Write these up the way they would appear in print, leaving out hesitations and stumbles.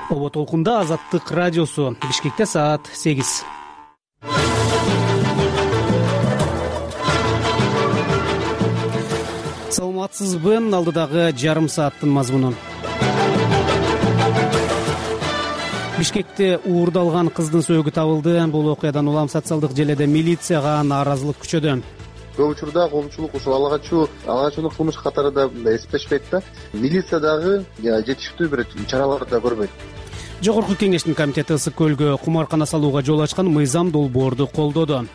Оба толкунда Азаттык радиосу. Бишкекте саат 8. Саламатсызбы? Алдыдагы жарым сааттын мазмуну. Бишкекте уурдалган кыздын сөөгү табылды. Бул окуядан улам социалдык желеде милицияга нааразылык күчөдө. Көп учурда коомчулук ушул алгачууну кылмыш катары да эсептешпейт да. Милиция дагы жетиштүү бир чараларды да көрбөйт. Жогорку кеңештин комитети ысык көлгө кумаркана салууга жол ачкан мыйзам долбоорду колдоду.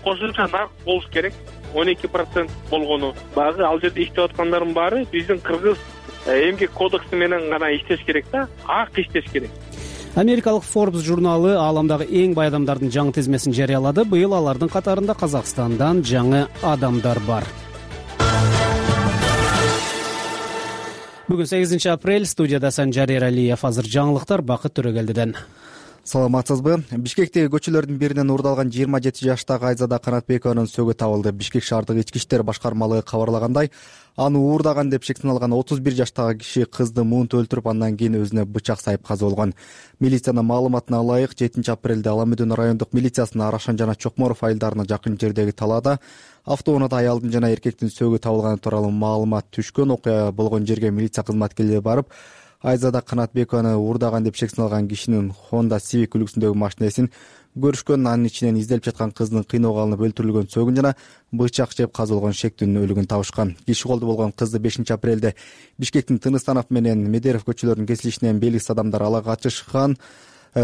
Кошумча нарк болуш керек. 12% болгону багы ал жерде иштеп аткандардын баары биздин кыргыз эмгек кодекси менен гана иштеш керек да, ак иштеш керек. Америкалык Forbes журналы ааламдагы эң бай адамдардын жаңы тизмесин жарыялады. Быйыл алардын катарында Казакстандан жаңы адамдар бар. Бүгүн 8 апрель, студияда Санжар Эралиев. Азыр жаңылыктар Бакыт Төрөгелдиден. Саламатсызбы? Бишкектеги көчөлөрдүн биринен уурдалган 27 жаштагы Айзада Канатбекованын сөөгү табылды. Бишкек шаардык ички иштер башкармалыгы кабарлагандай, аны уурдаган деп шек саналган 31 жаштагы киши кызды муунт өлтүрүп, андан кийин өзүнө бычак сайып каза болгон. Милициянын маалыматына ылайык, 7 апрелде Аламүдүн райондук милициясынын Арашан жана Чокморов айылдарына жакын жердеги талаада автоунаада аялдын жана эркектин сөөгү табылганы тууралуу маалымат түшкөн. Окуя болгон жерге милиция кызматкерлери барып, Айзада Канатбекованы уурдаган деп шек саналган кишинин Honda Civic үлгүсүндөгү машинесин көрүшкөн. Анын ичинен изделип жаткан кыздын кыйноого алынып өлтүрүлгөн сөөгүн жана бычак жеп каза болгон шектүүнүн өлүгүн табышкан. Киши колдо болгон кызды 5 апрелде Бишкектин Тыныстанов менен Медеров көчөлөрүнүн кесилишинен белгисиз адамдар ала качышкан.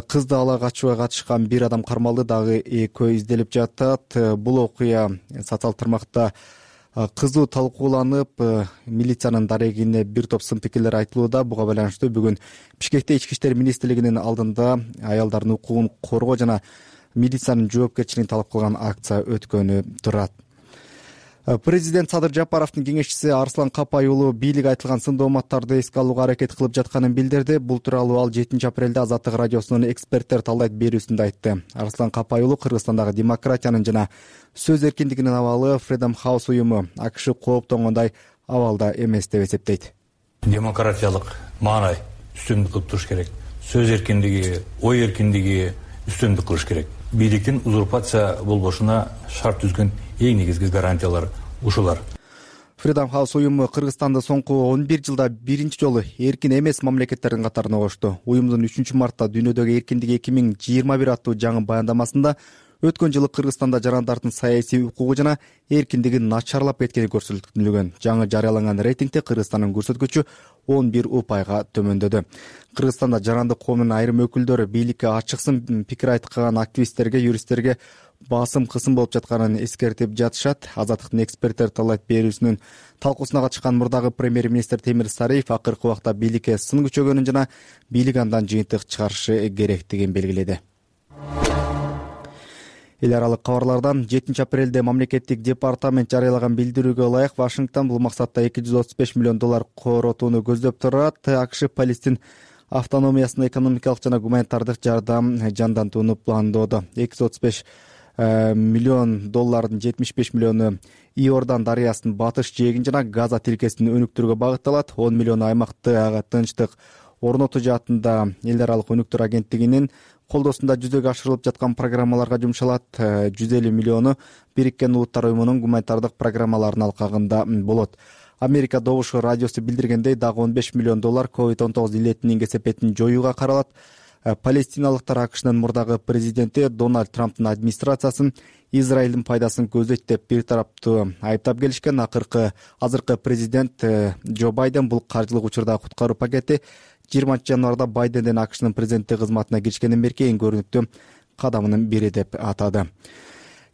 Кызды ала качууга катышкан бир адам кармалды, дагы экөө изделип жатат. Бул окуя социалдык тармакта кызуу талкууланып, милициянын дарегине бир топ сын пикирлер айтылууда. Буга байланыштуу бүгүн Бишкекте Ички иштер министрлигинин алдында аялдардын укугун коргоо жана милициянын жоопкерчилигин талап кылган акция өткөнү турат. Президент Садыр Жапаровдун кеңешчиси Арслан Капай уулу бийлик айтылган сын дооматтарды эске алууга аракет кылып жатканын билдирди. Бул тууралуу ал 7 апрелде Азаттык радиосунун эксперттер талдайт берүүсүндө айтты. Арслан Капай уулу Кыргызстандагы демократиянын жана сөз эркиндигинин абалы Freedom House уюму АКШ кооптонгондой абалда эмес деп эсептейт. Демократиялык маанай үстүндүк кылып туруш керек. Сөз эркиндиги, ой эркиндиги үстүндүк кылыш керек. Бийликтин узурпация болбошуна шарт түзгөн эң негизги гарантиялар ушулар. Freedom House уюму Кыргызстанды соңку 11 жылда биринчи жолу эркин эмес мамлекеттердин катарына кошту. Уюмдун 3 мартта дүйнөдөгү эркиндик 2021 аттуу жаңы баяндамасында өткөн жылы Кыргызстанда жарандардын саясий укугу жана эркиндиги начарлап кеткени көрсөтүлгөн. Жаңы жарыяланган рейтингде Кыргызстандын көрсөткүчү 11 упайга төмөндөдү. Кыргызстанда жарандык коомдун айрым өкүлдөрү бийликке ачыксын пикир айткан активисттерге, юристтерге басым кысым болуп жатканын эскертип жатышат. Азаттыктын эксперттер талайт берүүсүнүн талкуусуна катышкан мурдагы премьер-министр Темир Сариев акыркы убакта бийликке сын күчөгөнүн жана бийлик андан жыйынтык чыгарышы керектигин белгиледи. Эл аралык кабарлардан 7 апрелде мамлекеттик департамент жарыялаган билдирүүгө ылайык Вашингтон бул максатта $235 миллион коротууну көздөп турат. АКШ Палестин автономиясына экономикалык жана гуманитардык жардам жандантууну пландоодо. $235 миллион 75 миллиону Иордан дарыясынын батыш жээгин жана Газа тилкесин өнүктүрүүгө багытталат. 10 миллион аймакты ага тынчтык орнотуу жаатында эл аралык өнүктүр агенттигинин колдоосунда жүзөгө ашырылып жаткан программаларга жумшалат. 150 миллиону Бириккен Улуттар уюмунун гуманитардык программаларынын алкагында болот. Америка Добуш радиосу билдиргендей, дагы $15 миллион COVID-19 илетинин кесепетин жоюуга каралат. Палестиналыктар АКШнын мурдагы президенти Дональд Трамптын администрациясын Израилдин пайдасын көздөйт деп бир тараптуу айыптап келишкен. Азыркы президент Джо Байден бул каржылык учурдагы куткаруу пакети 20 январда Байденден АКШнын президенттик кызматына киришкенден берки эң көрүнүктүү кадамынын бири деп атады.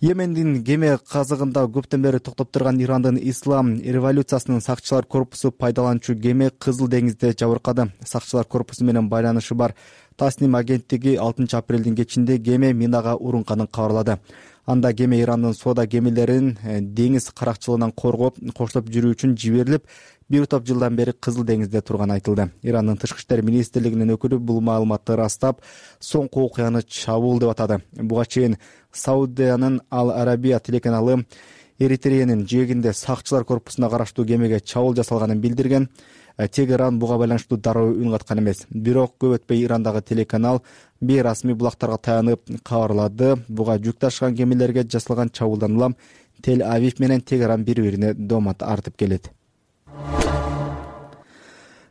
Йемендин кеме казыгында көптөн бери токтоп турган Ирандын ислам революциясынын сакчылар корпусу пайдаланчу кеме Кызыл деңизде жабыркады. Сакчылар корпусу менен байланышы бар Тасним агенттиги 6 апрелдин кечинде кеме минага урунганын кабарлады. Анда кеме Ирандын соода кемелерин деңиз каракчылыгынан коргоп, коштоп жүрүү үчүн жиберилип, бир топ жылдан бери Кызыл деңизде турганы айтылды. Ирандын тышкы иштер министрлигинин өкүлү бул маалыматты ырастап, соңку окуяны чабуул деп атады. Буга чейин Саудиянын Ал-Арабия телеканалы Эритреянын жээгинде сакчылар корпусуна караштуу кемеге чабуул жасалганын билдирген. Тегеран буга байланыштуу дароо үн каткан эмес. Бирок көп өтпөй Ирандагы телеканал бейрасмий булактарга таянып кабарлады. Буга жүк ташыган кемелерге жасалган чабуулдан улам Тель-Авив менен Тегеран бири-бирине доомат артып келет.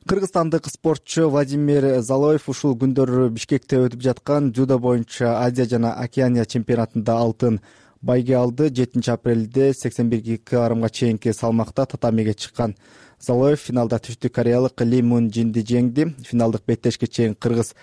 Кыргызстандык спортчу Владимир Залоев ушул күндөрү Бишкекте өтүп жаткан дзюдо боюнча Азия жана Океания чемпионатында алтын байге алды. 7 апрелде 81 кг чейинки салмакта татамиге чыккан Залоев финалда Түштүк кореялык Ли Мун Джинди жеңди. Финалдык беттешке чейин кыргыз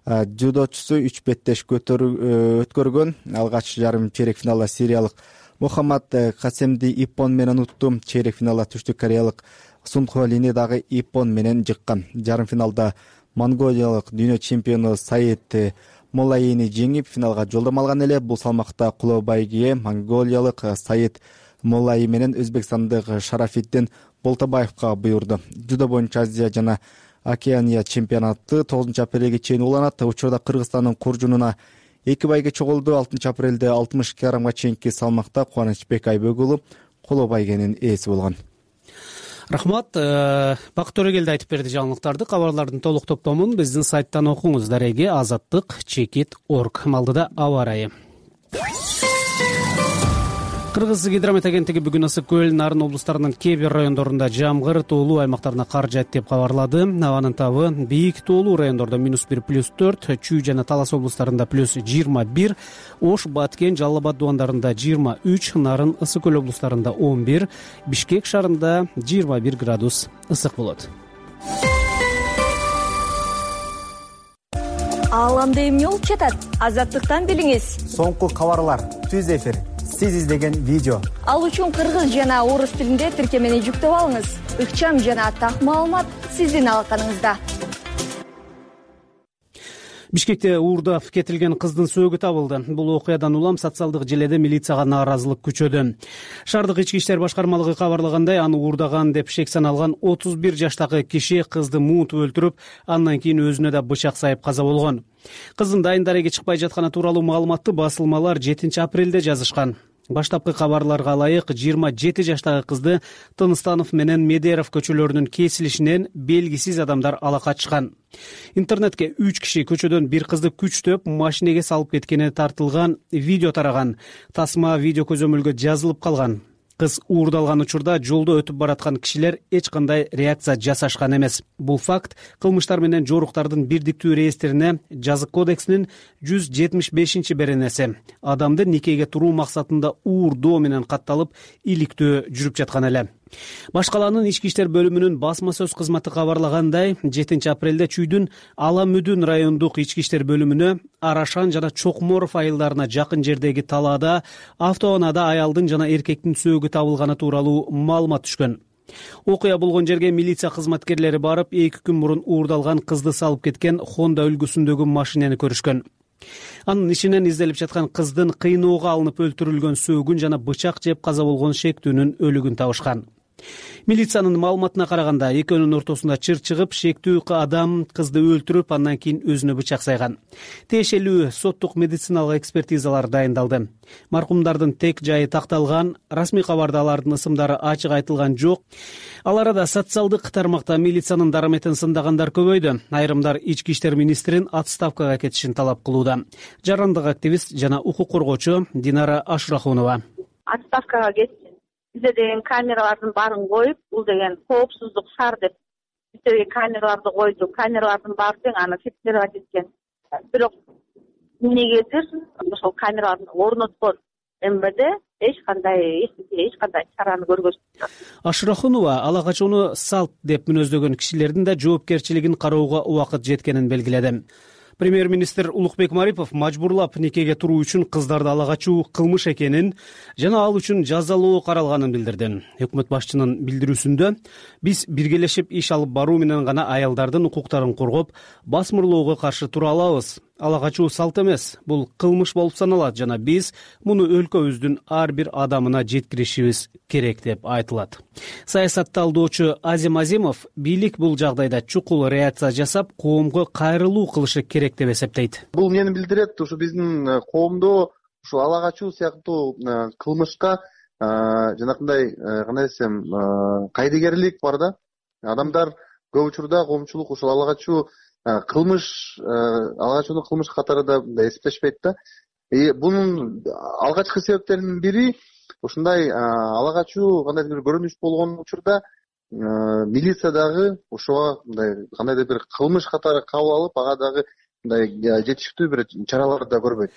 дзюдочусу 3 беттеш өткөргөн. Алгач жарым чейрек финалда сириялык Мухаммад Касемди иппон менен утту. Чейрек финалда Түштүк кореялык Сунхо Лини дагы иппон менен жыккан. Жарым финалда Монголиялык дүйнө чемпиону Саид Молаини жеңип финалга жолдомо алган эле. Бул салмакта кулоо байгие монголиялык Саид Молаи менен өзбекстандык Шарафиддин Болтобаевга буйрду. Дзюдо боюнча Азия жана Океания чемпионаты 9 апрелге чейин уланат. Учурда Кыргызстандын куржунуна 2 байге чогулду. 6 апрелде 60 кг чейинки салмакта Кубанычбек Айбек кулоо байгенин ээси болгон. Рахмат. Бакыт Төрөгелди айтып берди жаңылыктарды. Кабарлардын толук топтомун биздин сайттан окуңуз. Дареги azаттык.org. Малдыда аба ырайы. Кыргыз гидромет агенттиги бүгүн Ысык көл, Нарын облустарынын кээ бир райондорунда жамгыр, тоолуу аймактарына кар жаат деп кабарлады. Абанын табы бийик тоолуу райондордо -1, +4, Чүй жана Талас облустарында +21, Ош, Баткен, Жалал Абад дубандарында 23, Нарын, Ысык көл облустарында 11, Бишкек шаарында 21 градус ысык болот. Ааламда эмне болуп жатат? Азаттыктан билиңиз. Соңку кабарлар, түз эфир, сиз издеген видео. Ал үчүн кыргыз жана орус тилинде тиркемени жүктөп алыңыз. Ыкчам жана так маалымат сиздин алаканыңызда. Бишкекте уурдап кетилген кыздын сөөгү табылды. Бул окуядан улам социалдык желеде милицияга нааразылык күчөдү. Шаардык ички иштер башкармалыгы кабарлагандай, аны уурдаган деп шек саналган 31 жаштагы киши кызды муутуп өлтүрүп, андан кийин өзүнө да бычак сайып каза болгон. Кыздын дайын дареге чыкпай жатканы тууралуу маалыматты басылмалар 7 апрелде жазышкан. Баштапкы кабарларга ылайык 27 жаштагы кызды Тыныстанов менен Медеров көчөлөрүнүн кесилишинен белгисиз адамдар ала качышкан. Интернетке 3 киши көчөдөн бир кызды күчтөп машинеге салып кеткени тартылган видео тараган. Тасма видео көзөмөлгө жазылып калган. Кыз уурдалган учурда жолдо өтүп бараткан кишилер эч кандай реакция жасашкан эмес. Бул факт кылмыштар менен жоруктардын бирдиктүү реестрине жазык кодексинин 175 беренеси адамды никеге туруу максатында уурдоо менен катталып иликтөө жүрүп жаткан эле. Башкаланын ички иштер бөлүмүнүн басма сөз кызматы кабарлагандай, 7 апрелде Чүйдүн Ала Мүдүн райондук ички иштер бөлүмүнө Арашан жана Чокморов айылдарына жакын жердеги талаада автоунаада аялдын жана эркектин сөөгү табылганы тууралуу маалымат түшкөн. Окуя болгон жерге милиция кызматкерлери барып, 2 күн мурун уурдалган кызды салып кеткен Honda үлгүсүндөгү машинени көрүшкөн. Анын ичинен изделип жаткан кыздын кыйноого алынып өлтүрүлгөн сөөгүн жана бычак жеп каза болгон шектүүнүн өлүгүн табышкан. Милициянын маалыматына караганда, экөөнүн ортосунда чыр чыгып, шектүү адам кызды өлтүрүп, андан кийин өзүнө бычак сайган. Тиешелүү соттук медициналык экспертизалар дайындалды. Маркумдардын тек жайы такталган, расмий кабарда алардын ысымдары ачык айтылган жок. Ал арада социалдык тармакта милициянын дараметин сындагандар көбөйдү. Айрымдар ички иштер министрин отставкага кетишин талап кылууда. Жарандык активист жана укук коргоочу Динара Ашрахунова. Отставкага кетти. Бизде деген камералардын баарын коюп, бул деген коопсуздук шаар деп бизде камераларды койду. Камералардын баары тең аны фиксировать эткен. Бирок эмнегедир ошол камераларды орноткон МВД эч кандай чараны көргөзбөйт. Ашрахунова ала качууну салт деп мүнөздөгөн кишилердин да жоопкерчилигин кароого убакыт жеткенин белгиледи. Премьер-министр Улукбек Марипов мажбурлап никеге туруу үчүн кыздарды ала качуу кылмыш экенин жана ал үчүн жазалоо каралганын билдирди. Өкмөт башчынын билдирүүсүндө биз биргелешип иш алып баруу менен гана аялдардын укуктарын коргоп, басмырлоого каршы тура алабыз. Ала качуу салт эмес, бул кылмыш болуп саналат жана биз муну өлкөбүздүн ар бир адамына жеткиришибиз керек деп айтылат. Саясатталдоочу Азим Азимов бийлик бул жагдайда чукул реакция жасап, коомго кайрылуу кылышы керек деп эсептейт. Бул эмнени билдирет? Ушу биздин коомдо ушу ала качуу сыяктуу кылмышка жанакындай кандай десем кайдыгерлик бар да. Адамдар көп учурда коомчулук ушул ала качуу ала качууну кылмыш катары да эсептешпейт да. Бунун алгачкы себептеринин бири ушундай ала качуу кандайдыр бир көрүнүш болгон учурда милиция дагы ошого мындай кандайдыр бир кылмыш катары кабыл алып, ага дагы мындай жетиштүү бир чараларды да көрбөйт.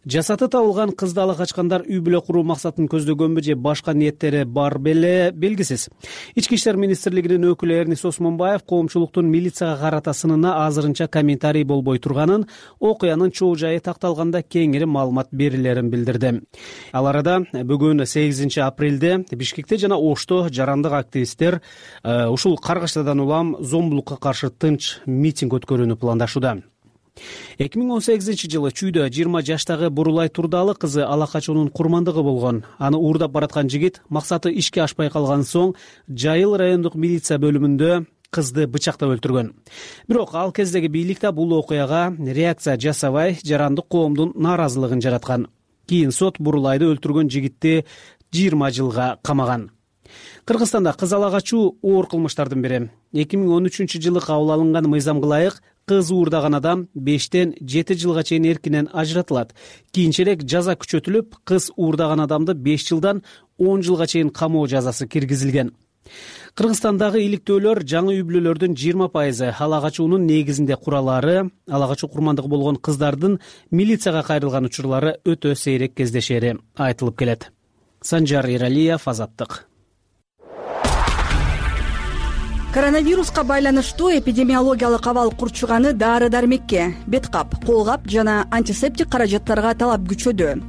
Жасаты табылган кызды ала качкандар үй бүлө куруу максатын көздөгөнбү же башка ниеттери бар беле белгисиз. Ички иштер министрлигинин өкүлү Эрнис Осмонбаев коомчулуктун милицияга карата сынына азырынча комментарий болбой турганын, окуянын чоо жайы такталганда кеңири маалымат берилерин билдирди. Ал арада бүгүн 8 апрелде Бишкекте жана Ошто жарандык активисттер ушул каргыштардан улам зомбулукка каршы тынч митинг өткөрүүнү пландашууда. 2018-жылы Чүйдө 20 жаштагы Бурулай Турдалы кызы ала качуунун курмандыгы болгон. Аны уурдап бараткан жигит максаты ишке ашпай калган соң Жайыл райондук милиция бөлүмүндө кызды бычактап өлтүргөн. Бирок ал кездеги бийлик да бул окуяга реакция жасабай, жарандык коомдун нааразылыгын жараткан. Кийин сот Бурулайды өлтүргөн жигитти 20 жылга камаган. Кыргызстанда кыз ала качуу оор кылмыштардын бири. 2013-жылы кабыл алынган мыйзамга ылайык кыз уурдаган адам 5-тен 7 жылга чейин эркинен ажыратылат. Кийинчерээк жаза күчөтүлүп, кыз уурдаган адамды 5 жылдан 10 жылга чейин камоо жазасы киргизилген. Кыргызстандагы иликтөөлөр жаңы үй бүлөлөрдүн 20% ала качуунун негизинде куралары, ала качуу курмандыгы болгон кыздардын милицияга кайрылган учурлары өтө сейрек кездешери айтылып келет. Санжар Иралиев, Азаттык. Коронавируска байланыштуу эпидемиологиялык абал курчуганы дары-дармекке, беткап, колгап жана антисептик каражаттарга талап күчөдү.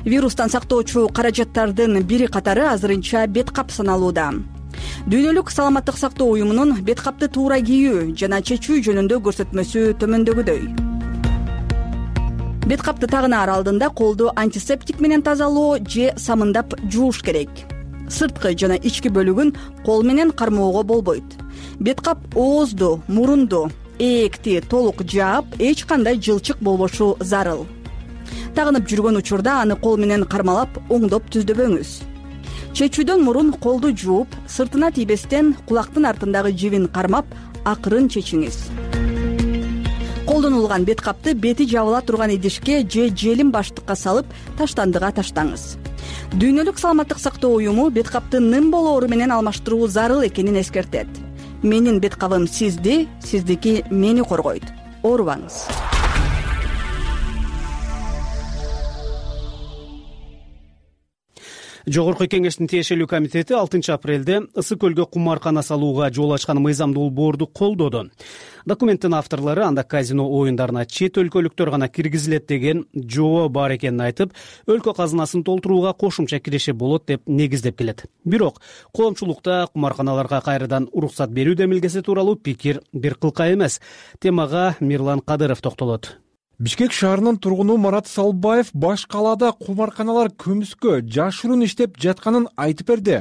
Вирустан сактоочу каражаттардын бири катары азырынча беткап саналууда. Дүйнөлүк саламаттык сактоо уюмунун беткапты туура кийүү жана чечүү жөнүндө көрсөтмөсү төмөндөгүдөй. Беткапты тагынаар алдында колду антисептик менен тазалоо же самындап жууш керек. Сырткы жана ички бөлүгүн кол менен кармоого болбойт. Беткап оозду, мурунду, ээкти толук жаап, эч кандай жылчык болбошу зарыл. Тагынып жүргөн учурда аны кол менен кармалап, оңдоп түздөбөңүз. Чечүүдөн мурун колду жууп, сыртына тийбестен кулактын артындагы жибин кармап, акырын чечиңиз. Колдонулган беткапты бети жабыла турган идишке же желим баштыкка салып, таштандыга таштаңыз. Дүйнөлүк саламаттык сактоо уюму беткапты нын болоору менен алмаштыруу зарыл экенин эскертет. Менин беткабым сизди, сиздики мени коргойт. Оорубаңыз. Жогорку кеңештин тиешелүү комитети 6 апрелде Ысык көлгө кумаркана салууга жол ачкан мыйзам долбоорду колдоду. Документтин авторлору анда казино оюндарына чет өлкөлүктөр гана киргизилет деген жобо бар экенин айтып, өлкө казынасын толтурууга кошумча киреше болот деп негиздеп келет. Бирок коомчулукта кумарканаларга кайрадан уруксат берүү демилгеси тууралуу пикир бир кылка эмес. Темага Мирлан Кадыров токтолот. Бишкек шаарынын тургуну Марат Салбаев баш калаада кумарканалар көмүскө жашыруун иштеп жатканын айтып берди.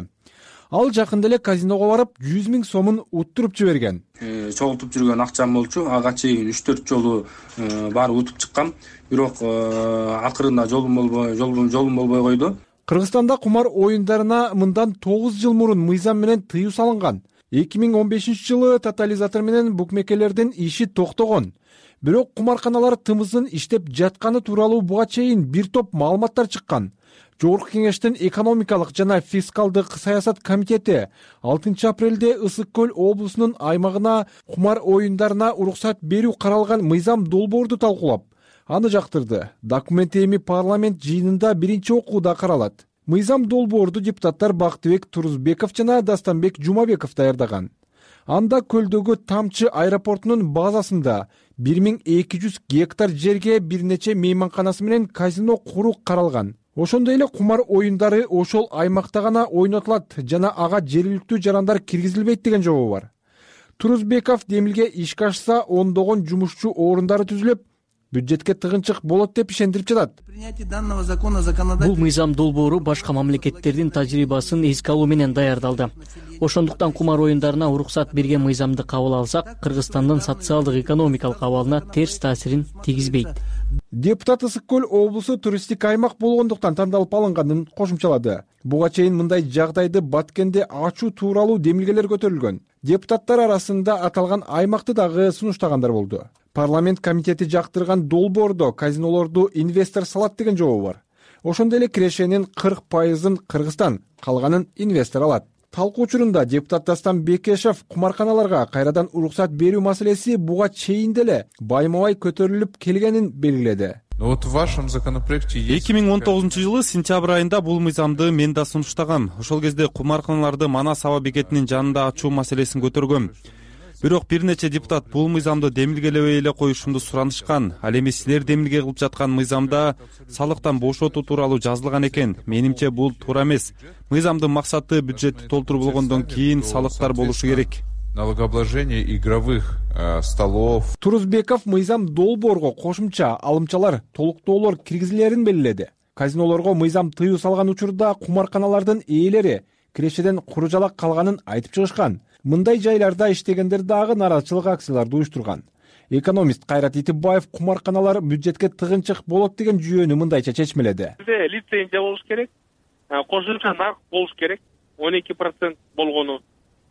Ал жакында эле казиного барып 100 000 сомун уттуруп жиберген. Чогултуп жүргөн акчам болчу, ага чейин 3-4 жолу барып утуп чыккам. Бирок акырында жолум болбой койду. Кыргызстанда кумар оюндарына мындан 9 жыл мурун мыйзам менен тыюу салынган. 2015-жылы тотализатор менен букмекерлердин иши токтогон. Бирок кумарканалар тымыздын иштеп жатканы тууралуу буга чейин бир топ маалыматтар чыккан. Жогорку кеңештин экономикалык жана фискалдык саясат комитети 6 апрелде Ысык көл облусунун аймагына кумар оюндарына уруксат берүү каралган мыйзам долбоорду талкуулап, аны жактырды. Документ эми парламент жыйынында биринчи окууда каралат. Мыйзам долбоорду депутаттар Бактыбек Турузбеков жана Дастанбек Жумабеков даярдаган. Анда көлдөгү Тамчы аэропортунун базасында 1200 гектар жерге бир нече мейманканасы менен казино куруу каралган. Ошондой эле кумар оюндары ошол аймакта гана ойнотулат жана ага жергиликтүү жарандар киргизилбейт деген жобо бар. Турузбеков демилге ишке ашса ондогон жумушчу орундары түзүлүп, бюджетке тыгынчык болот деп ишендирип жатат. Бул мыйзам долбоору башка мамлекеттердин тажрыйбасын эске алуу менен даярдалды. Ошондуктан кумар оюндарына уруксат берген мыйзамды кабыл алсак, Кыргызстандын социалдык экономикалык абалына терс таасирин тийгизбейт. Депутат Ысык көл облусу туристтик аймак болгондуктан тандалып алынганын кошумчалады. Буга чейин мындай жагдайды Баткенде ачуу тууралуу демилгелер көтөрүлгөн. Депутаттар арасында аталган аймакты дагы сунуштагандар болду. Парламент комитети жактырган долбоордо казинолорду инвестор салат деген жобо бар. Ошондой эле кирешенин 40%-ын Кыргызстан, калганын инвестор алат. Талкуу учурунда депутат Дастан Бекешев кумарканаларга кайрадан уруксат берүү маселеси буга чейин деле байма-бай көтөрүлүп келгенин белгиледи. 2019 сентябрь айында бул мыйзамды мен да сунуштагам. Ошол кезде кумарканаларды Манас аба бекетинин жанында ачуу маселесин көтөргөм. Бирок бир нече депутат бул мыйзамды демилгелебей эле коюшумду суранышкан. Ал эми силер демилге кылып жаткан мыйзамда салыктан бошотуу тууралуу жазылган экен. Менимче бул туура эмес. Мыйзамдын максаты бюджетти толтуруу болгондон кийин салыктар болушу керек. Налогообложение игровых столов. Турузбеков мыйзам долбоорго кошумча алымчалар, толуктоолор киргизилерин белгиледи. Казинолорго мыйзам тыюу салган учурда кумарканалардын ээлери кирешеден куружалак калганын айтып чыгышкан. Мындай жайларда иштегендер дагы нааразычылык акцияларды уюштурган. Экономист Кайрат Итибаев кумарканалар бюджетке тыгынчык болот деген жүйөнү мындайча чечмеледи. Бизде лицензия болуш керек, кошумча нарк болуш керек, 12% болгону.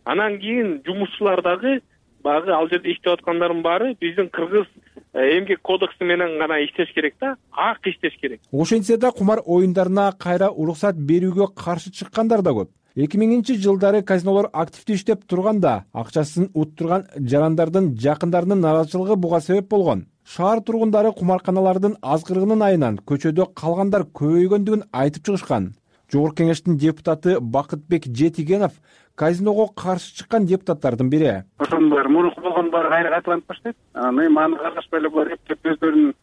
Анан кийин жумушчулар дагы багы ал жерде иштеп аткандардын баары биздин кыргыз эмгек кодекси менен гана иштеш керек да, ак иштеш керек. Ошентсе да кумар оюндарына кайра уруксат берүүгө каршы чыккандар да көп. 2000-жылдары казинолор активдүү иштеп турганда акчасын уттурган жарандардын жакындарынын нааразычылыгы буга себеп болгон. Шаар тургундары кумарканалардын азгырыгынын айынан көчөдө калгандар көбөйгөндүгүн айтып чыгышкан. Жогорку кеңештин депутаты Бакытбек Жетигенов казиного каршы чыккан депутаттардын бири. Ошонун баары мурунку болгон баары кайра кайталанып баштайт. Анан эми аны карашпай эле булар эптеп өздөрүнүн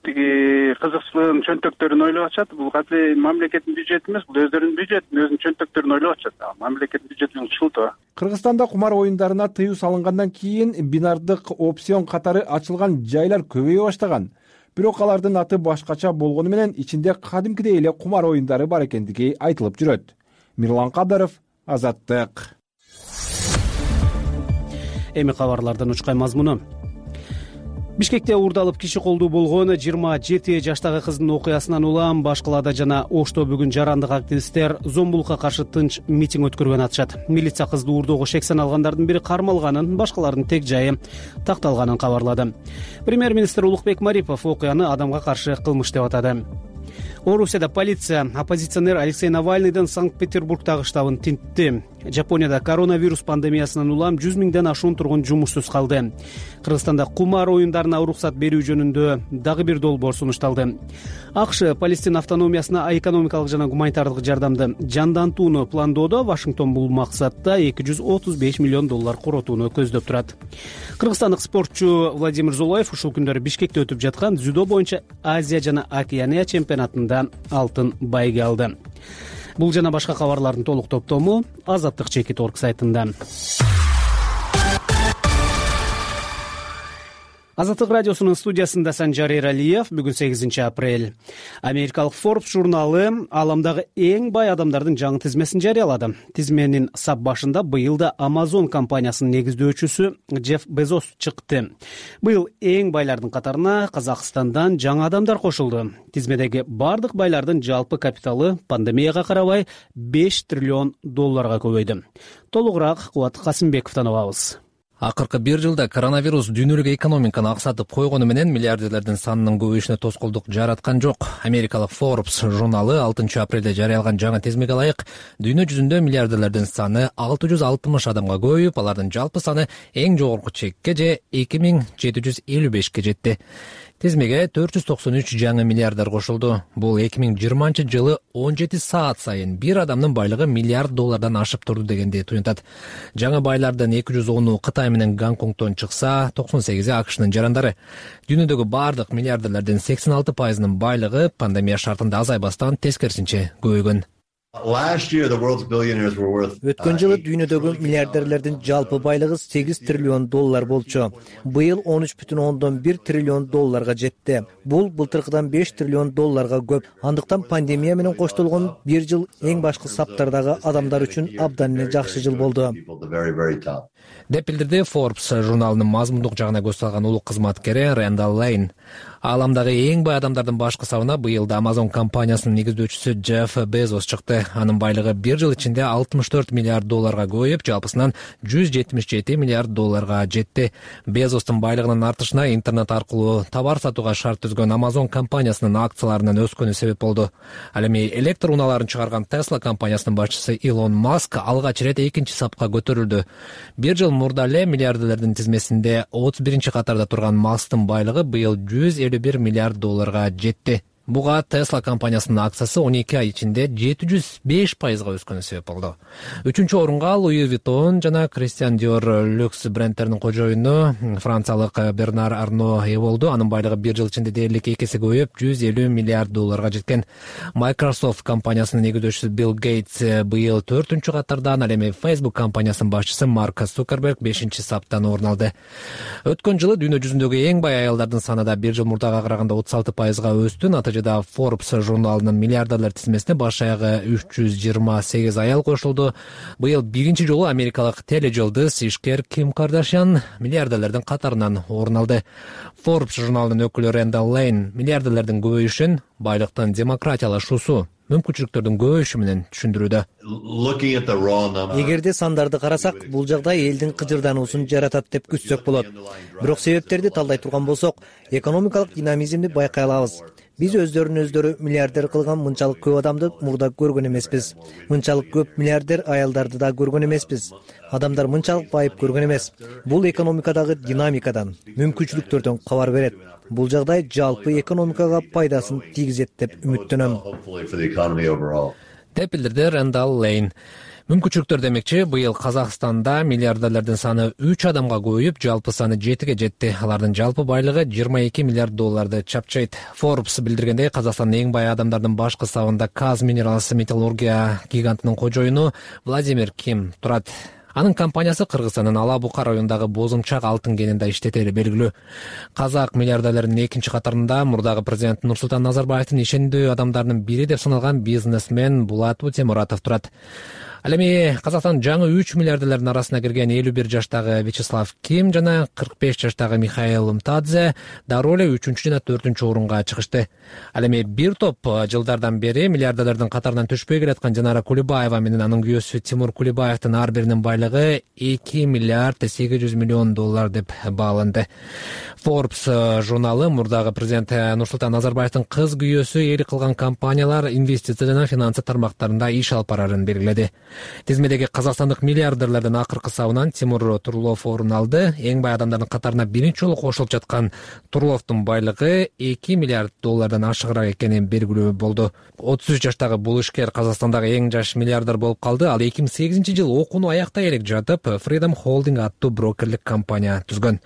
тиги кызыкчылыгын, чөнтөктөрүн ойлоп атышат. Бул катуу мамлекеттин бюджети эмес, бул өздөрүнүн бюджети, өзүнүн чөнтөктөрүн ойлоп атышат. Мамлекеттин бюджети ушулту. Кыргызстанда кумар оюндарына тыюу салынгандан кийин бинардык опцион катары ачылган жайлар көбөйө баштаган. Бирок алардын аты башкача болгону менен ичинде кадимкидей эле кумар оюндары бар экендиги айтылып жүрөт. Мирлан Кадыров, Азаттык. Эми кабарлардын учкай мазмуну. Бишкекте уурдалып киши колдуу болгон 27 жаштагы кыздын окуясынан улам баш калаада жана Ошто бүгүн жарандык активисттер зомбулукка каршы тынч митинг өткөргөн атышат. Милиция кызды уурдоого шек саналгандардын бири кармалганын, башкалардын тег жайы такталганын кабарлады. Премьер-министр Улукбек Марипов окуяны адамга каршы кылмыш деп атады. Орусияда полиция оппозиционер Алексей Навальныйдын Санкт-Петербургдагы штабын тинтти. Жапонияда коронавирус пандемиясынан улам 100 миңден ашуун тургун жумушсуз калды. Кыргызстанда кумар оюндарына уруксат берүү жөнүндө дагы бир долбоор сунушталды. АКШ Палестин автономиясына экономикалык жана гуманитардык жардамды жандантууну пландоодо. Вашингтон бул максатта $235 миллион коротууну көздөп турат. Кыргызстандык спортчу Владимир Золоев ушул күндөрү Бишкекте өтүп жаткан дзюдо боюнча Азия жана Океания чемпионатында алтын байге алды. Бул жана башка кабарлардын толук топтому Азаттык чекит орг сайтында. Азаттык радиосунун студиясында Санжар Эралиев. Бүгүн 8 апрель. Америкалык Forbes журналы аламдагы эң бай адамдардын жаңы тизмесин жарыялады. Тизменин сап башында быйыл да Amazon компаниясынын негиздөөчүсү Джефф Безос чыкты. Быйыл эң байлардын катарына Казакстандан жаңы адамдар кошулду. Тизмедеги бардык байлардын жалпы капиталы пандемияга карабай $5 триллион көбөйдү. Толугураак Кубат Касымбековдон угабыз. Акыркы бир жылда коронавирус дүйнөлүк экономиканы аксатып койгону менен миллиардерлердин санынын көбөйүшүнө тоскоолдук жараткан жок. Америкалык Forbes журналы 6 апрелде жарыялаган жаңы тизмеге ылайык дүйнө жүзүндө миллиардерлердин саны 660 адамга көбөйүп, алардын жалпы саны эң жогорку чекке же 2755-ке жетти. Тизмеге 493 жаңы миллиардер кошулду. Бул 2020-жылы 17 саат сайын бир адамдын байлыгы $1 миллиард ашып турду дегенди туюнтат. Жаңы байлардын 210-у Кытай менен Гонконгдон чыкса, 98-и АКШнын жарандары. Дүйнөдөгү бардык миллиардерлердин 86%-нын байлыгы пандемия шартында азайбастан тескерисинче көбөйгөн. Өткөн жылы дүйнөдөгү миллиардерлердин жалпы байлыгы 8 триллион доллар болчу. Быйыл 13,1 триллион долларга жетти. Бул былтыркыдан 5 триллион долларга көп. Андыктан пандемия менен коштолгон бир жыл эң башкы саптардагы адамдар үчүн абдан эле жакшы жыл болду, деп билдирди Forbes журналынын мазмундук жагына көз салган улук кызматкери Рэндалл Лейн. Ааламдагы эң бай адамдардын башкы сабына быйыл да Amazon компаниясынын негиздөөчүсү Джефф Безос чыкты. Анын байлыгы бир жыл ичинде 64 миллиард долларга көбөйүп, жалпысынан 177 миллиард долларга жетти. Безостун байлыгынын артышына интернет аркылуу товар сатууга шарт түзгөн Amazon компаниясынын акцияларынын өскөнү себеп болду. Ал эми электр унааларын чыгарган Tesla компаниясынын башчысы Илон Маск алгач ирет экинчи сапка көтөрүлдү. Бир жыл мурда эле миллиардерлердин тизмесинде 31 катарда турган Масктын байлыгы быйыл 151 миллиард долларга жетти. Буга Tesla компаниясынын акциясы 12 ай ичинде 705%га өскөнү себеп болду. 3-чү орунга Louis Vuitton жана Christian Dior люкс брендтеринин кожоюну франциялык Бернар Арно ээ болду. Анын байлыгы бир жыл ичинде дээрлик 2 эсе көбөйүп 150 миллиард долларга жеткен. Microsoft компаниясынын негиздөөчүсү Билл Гейтс быйыл 4-чү катардан, ал эми Facebook компаниясынын башчысы Марк Цукерберг 5-чи саптан орун алды. Өткөн жылы дүйнө жүзүндөгү эң бай аялдардын саны да бир жыл мурдага караганда 36%га өстү. Да Forbes журналынын миллиардерлер тизмесине баш аягы 328 аял кошулду. Быйыл биринчи жолу америкалык тележулдуз ишкер Ким Кардашьян миллиардерлердин катарынан орун алды. Forbes журналынын өкүлү Рэндалл Лейн миллиардерлердин көбөйүшүн байлыктын демократиялашуусу, мүмкүнчүлүктөрдүн көбөйүшү менен түшүндүрүүдө. Эгерде сандарды карасак, бул жагдай элдин кыжырдануусун жаратат деп күтсөк болот. Бирок себептерди талдай турган болсок, экономикалык динамизмди байкай алабыз. Биз өздөрүн миллиардер кылган мынчалык көп адамды мурда көргөн эмеспиз. Мынчалык көп миллиардер аялдарды да көргөн эмеспиз. Адамдар мынчалык байып көргөн эмес. Бул экономикадагы динамикадан, мүмкүнчүлүктөрдөн кабар берет. Бул жагдай жалпы экономикага пайдасын тийгизет деп үмүттөнөм, деп билдирди Рэндалл Лейн. Мүмкүнчүлүктөр демекчи, быйыл Казакстанда миллиардерлердин саны 3 адамга көбөйүп, жалпы саны 7ге жетти. Алардын жалпы байлыгы 22 миллиард долларды чапчайт. Forbes билдиргендей, Казакстандын эң бай адамдардын башкы сабында Kaz Minerals металлургия гигантынын кожоюну Владимир Ким турат. Анын компаниясы Кыргызстандын Ала-Бука районундагы Бозумчак алтын кенинде иштетери белгилүү. Казак миллиардерлеринин экинчи катарында мурдагы президент Нурсултан Назарбаевдин ишендүү адамдарынын бири деп саналган бизнесмен Булат Утемуратов турат. Ал эми Казакстандын жаңы 3 миллиардерлердин арасына кирген 51 жаштагы Вячеслав Ким жана 45 жаштагы Михаил Мтадзе дароо эле 3-чү жана 4-чү орунга чыгышты. Ал эми бир топ жылдардан бери миллиардерлердин катарынан түшпөй келаткан Жанара Кулибаева менен анын күйөөсү Тимур Кулибаевдин ар биринин байлыгы 2 миллиард 800 миллион доллар деп бааланды. Forbes журналы мурдагы президент Нурсултан Назарбаевдин кыз күйөөсү ээлик кылган компаниялар инвестиция жана финансы тармактарында иш алып барарын белгиледи. Тизмедеги казакстандык миллиардерлердин акыркы сабынан Тимур Турлов орун алды. Эң бай адамдардын катарына биринчи жолу кошулуп жаткан Турловдун байлыгы 2 миллиард доллардан ашыгыраак экени белгилүү болду. 33 жаштагы бул ишкер Казакстандагы эң жаш миллиардер болуп калды. Ал 2008-жылы окууну аяктай элек жатып, Freedom Holding аттуу брокерлик компания түзгөн.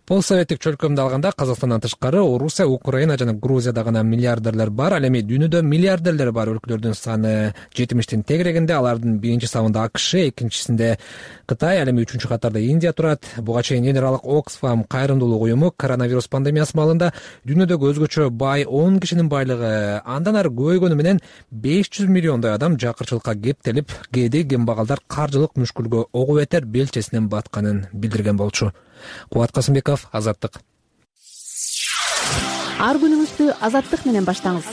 Постсоветтик чөлкөмдү алганда Казакстандан тышкары Орусия, Украина жана Грузияда гана миллиардерлер бар. Ал эми дүйнөдө миллиардерлер бар өлкөлөрдүн саны 70тин тегерегинде. Алардын биринчи сабында АКШ, экинчисинде Кытай, ал эми 3-чү катарда Индия турат. Буга чейин эл аралык Oxfam кайрымдуулук уюму коронавирус пандемиясы маалында дүйнөдөгү өзгөчө бай 10 кишинин байлыгы андан ары көбөйгөнү менен 500 миллиондой адам жакырчылыкка кептелип, кээде кембагалдар каржылык мүшкүлгө ого бетер белчесинен батканын билдирген болчу. Кубат Касымбеков, Азаттык. Ар күнүңүздү Азаттык менен баштаңыз.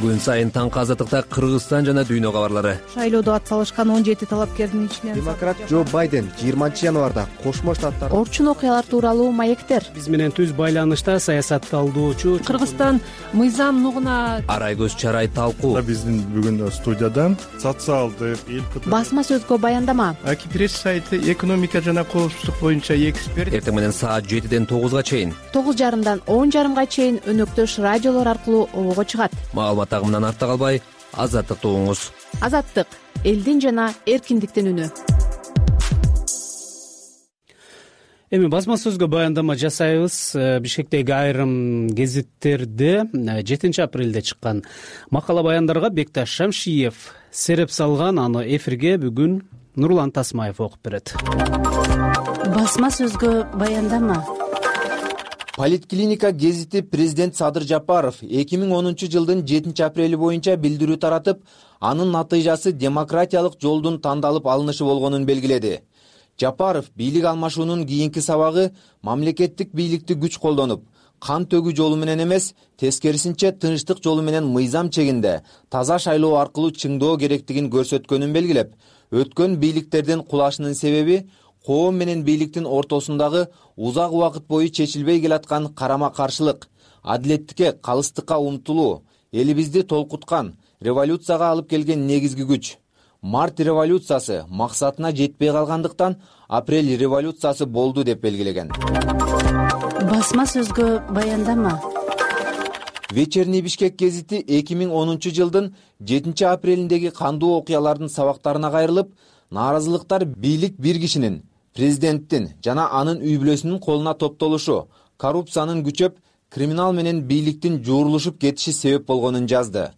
Күн сайын таңкы Азаттыкта Кыргызстан жана дүйнө кабарлары. Шайлоодо атсалышкан 17 талапкердин ичинен демократ Джо Байден 20-январда Кошмо Штаттар орчун окуялар тууралуу маектер. Биз менен түз байланышта саясатталдоочу Кыргызстан мыйзам нугуна Арайгөз Чарай талкуу. Биздин бүгүн студиядан социалдык басма сөзгө баяндама. Акипресс сайты экономика жана коопсуздук боюнча эксперт. Эртең менен саат 7ден 9га чейин, 9:30дан 10:30га чейин өнөктөш радиолор аркылуу обого чыгат. Маалымат агымынан артта калбай, Азаттыкты угуңуз. Азаттык — элдин жана эркиндиктин үнү. Эми басма сөзгө баяндама жасайбыз. Бишкектеги айрым гезиттерде 7 апрелде чыккан макала баяндарга Бекташ Шамшиев сереп салган. Аны эфирге бүгүн Нурлан Тасмаев окуп берет. Басма сөзгө баяндама. Политклиника гезити президент Садыр Жапаров 2010 жылдын 7 апрели боюнча билдирүү таратып, анын натыйжасы демократиялык жолдун тандалып алынышы болгонун белгиледи. Жапаров бийлик алмашуунун кийинки сабагы мамлекеттик бийликти күч колдонуп, кан төгүү жолу менен эмес, тескерисинче тынчтык жолу менен мыйзам чегинде таза шайлоо аркылуу чыңдоо керектигин көрсөткөнүн белгилеп, өткөн бийликтердин кулашынын себеби коом менен бийликтин ортосундагы узак убакыт бою чечилбей келаткан карама-каршылык, адилеттикке, калыстыкка умтулуу, элибизди толкуткан, революцияга алып келген негизги күч. Март революциясы максатына жетпей калгандыктан апрель революциясы болду деп белгилеген. Басма сөзгө баяндама. Вечерний Бишкек гезити 2010 жылдын 7 апрелиндеги кандуу окуялардын сабактарына кайрылып, нааразылыктар бийлик бир кишинин, президенттин жана анын үй бүлөсүнүн колуна топтолушу, коррупциянын күчөп, криминал менен бийликтин жуурулушуп кетиши себеп болгонун жазды.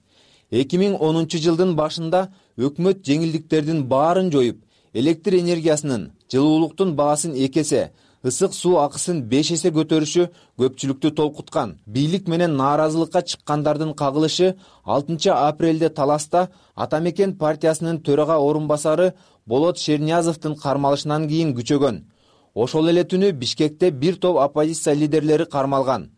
2010 жылдын башында өкмөт жеңилдиктердин баарын жоюп, электр энергиясынын, жылуулуктун баасын 2 эсе, ысык суу акысын 5 эсе көтөрүшү көпчүлүктү толкуткан. Бийлик менен нааразылыкка чыккандардын кагылышы 6 апрелде таласта Атамекен партиясынын төрага орун басары Болот Шерниязовдун кармалышынан кийин күчөгөн. Ошол эле түнү Бишкекте бир топ оппозиция лидерлери кармалган.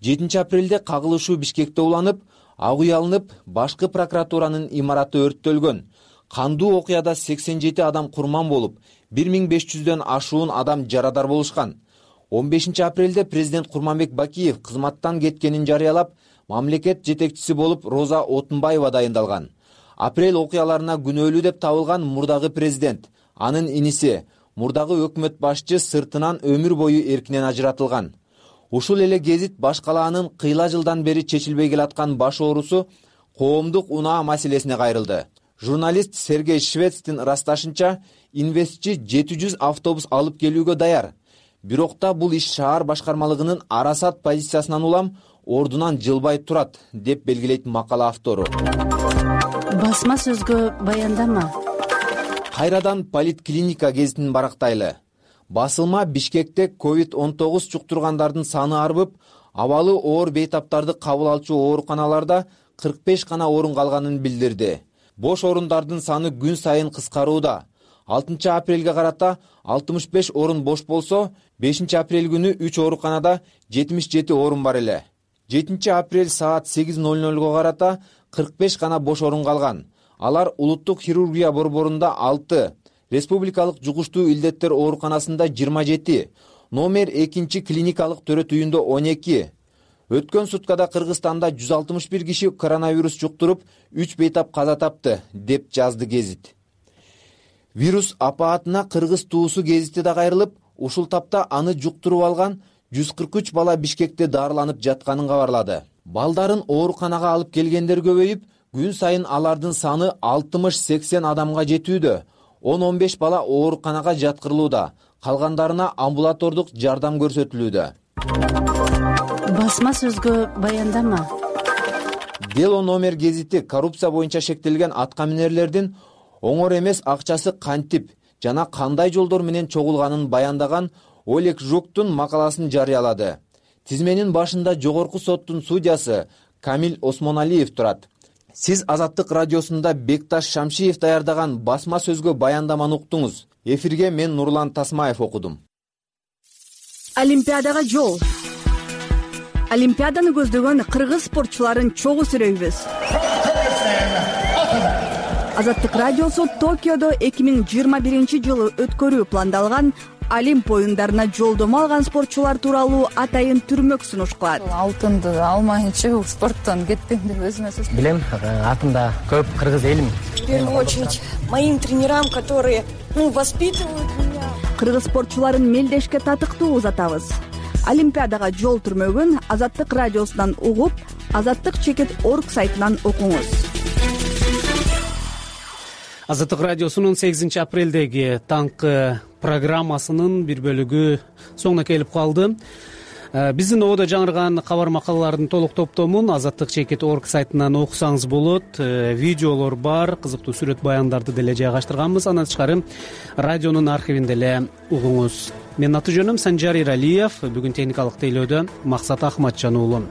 7 апрелде кагылышуу Бишкекте уланып, ак үй алынып, башкы прокуратуранын имараты өрттөлгөн. Кандуу окуяда 87 адам курман болуп, 1500дөн ашуун адам жарадар болушкан. 15 апрелде президент Курманбек Бакиев кызматтан кеткенин жарыялап, мамлекет жетекчиси болуп Роза Отунбаева дайындалган. Апрель окуяларына күнөөлүү деп табылган мурдагы президент, анын иниси, мурдагы өкмөт башчы сыртынан өмүр бою эркинен ажыратылган. Ушул эле гезит баш калаанын кыйла жылдан бери чечилбей келаткан баш оорусу коомдук унаа маселесине кайрылды. Журналист Сергей Швецтин ырасташынча, инвестчи 700 автобус алып келүүгө даяр. Бирок да бул иш шаар башкармалыгынын арасат позициясынан улам ордунан жылбай турат, деп белгилейт макала автору. Басма сөзгө баяндама. Кайрадан Политклиника гезитин барактайлы. Басылма Бишкекте COVID-19 чуктургандардын саны арбып, абалы оор бейтаптарды кабыл алчу ооруканаларда 45 гана орун калганын билдирди. Бош орундардын саны күн сайын кыскарууда. 6 апрелге карата 65 орун бош болсо, 5 апрель күнү 3 ооруканада 77 орун бар эле. 7 апрель саат 8:00 карата 45 гана бош орун калган. Алар улуттук хирургия борборунда 6, республикалык жугуштуу илдеттер ооруканасында 27, номер 2 клиникалык төрөт үйүндө 12. Өткөн суткада Кыргызстанда 161 киши коронавирус жуктуруп, 3 бейтап каза тапты, деп жазды гезит. Вирус апаатына кыргыз туусу гезити да кайрылып, ушул тапта аны жуктуруп алган 143 бала Бишкекте дарыланып жатканын кабарлады. Балдарын ооруканага алып келгендер көбөйүп, күн сайын алардын саны 60-80 адамга жетүүдө. 10-15 бала ооруканага жаткырылууда, калгандарына амбулатордук жардам көрсөтүлүүдө. Басма сөзгө баяндама. Дело номер гезити коррупция боюнча шектелген аткаминерлердин оңор эмес акчасы кантип жана кандай жолдор менен чогулганын баяндаган Олег Жуктун макаласын жарыялады. Тизменин башында жогорку соттун судьясы Камил Осмоналиев турат. Сиз Азаттык радиосунда Бекташ Шамшиев даярдаган басма сөзгө баяндаманы уктуңуз. Эфирге мен Нурлан Тасмаев окудум. Олимпиадага жол. Олимпиаданы көздөгөн кыргыз спортчуларын чогуу сүрөйбүз. Азаттык радиосу Токиодо 2021 жылы өткөрүү пландалган Олимп оюндарына жолдомо алган спортчулар тууралуу атайын түрмөк сунуш кылат. Алтынды алмайынча спорттон кетпейм деп өзүмө сөз. Билем, артымда көп кыргыз элим. В первую очередь моим тренерам, которые воспитывают меня. Кыргыз спортчуларын мелдешке татыктуу узатабыз. Олимпиадага жол түрмөгүн Азаттык радиосунан угуп, azattik.org сайтынан окуңуз. Азаттык радиосунун 8 апрелдеги таңкы программасынын бир бөлүгү соңуна келип калды. Биздин ободо жаңырган кабар макалалардын толук топтомун azatlyk.org сайтынан окусаңыз болот. Видеолор бар, кызыктуу сүрөт баяндарды деле жайгаштырганбыз. Андан тышкары радионун архивинде эле угуңуз. Менин аты жөнүм Санжар Иралиев. Бүгүн техникалык тейлөөдө Максат Ахматжан уулу.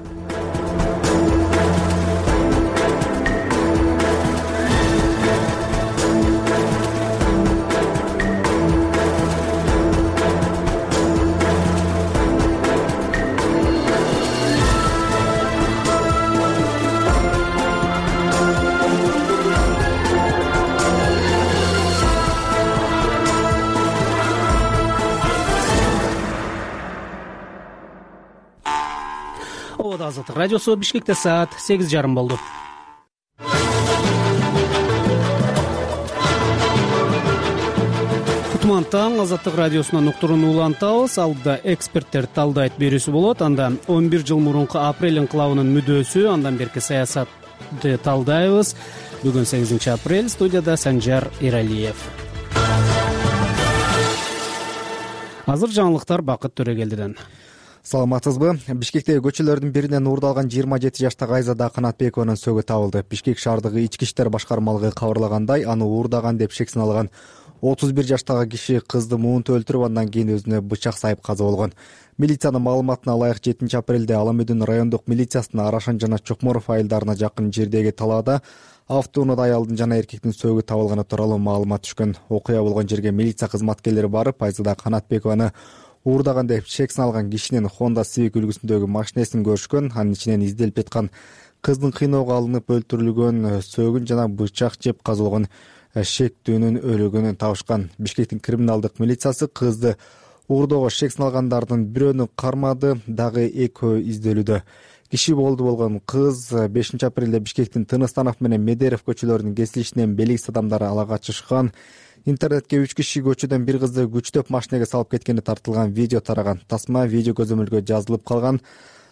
Азаттык радиосу Бишкекте саат 8:30 болду. Кутман таң, Азаттык радиосунан уктуруну улантабыз. Алдыда эксперттер талдайт берүүсү болот. Анда 11 жыл мурунку апрель инкылабынын мүдөөсү, андан берки саясатты талдайбыз. Бүгүн 8 апрель, студияда Санжар Иралиев. Азыр жаңылыктар Бакыт Төрөгелдиден. Саламатсызбы? Бишкектеги көчөлөрдүн биринен уурдалган 27 жаштагы Айзада Канатбекованын сөөгү табылды. Бишкек шаардыгы ички иштер башкармалыгы кабарлагандай, аны уурдаган деп шек саналган 31 жаштагы киши кызды муунтуп өлтүрүп, андан кийин өзүнө бычак сайып каза болгон. Милициянын маалыматына ылайык 7 апрелде Ала Мүдүн райондук милициясынын Арашан жана Чокморов айылдарына жакын жердеги талаада автоунаада аялдын жана эркектин сөөгү табылганы тууралуу маалымат түшкөн. Окуя болгон жерге милиция кызматкерлери барып, Айзада Канатбекованы уурдаган деп шек саналган кишинин Honda Civic үлгүсүндөгү машинесин көрүшкөн. Анын ичинен изделип жаткан кыздын кыйноого алынып өлтүрүлгөн сөөгүн жана бычак жеп казылган шектүүнүн өлүгүн табышкан. Бишкектин криминалдык милициясы кызды уурдоого шек саналгандардын бирөөнү кармады, дагы экөө изделүүдө. Киши болду болгон кыз 5 апрелде Бишкектин Тыныстанов менен Медерев көчөлөрүнүн кесилишинен белгисиз адамдар ала качышкан. Интернетке 3 киши көчөдөн bir кызды күчтөп машинеге салып кеткени тартылган видео тараган. Тасма видео көзөмөлгө жазылып калган.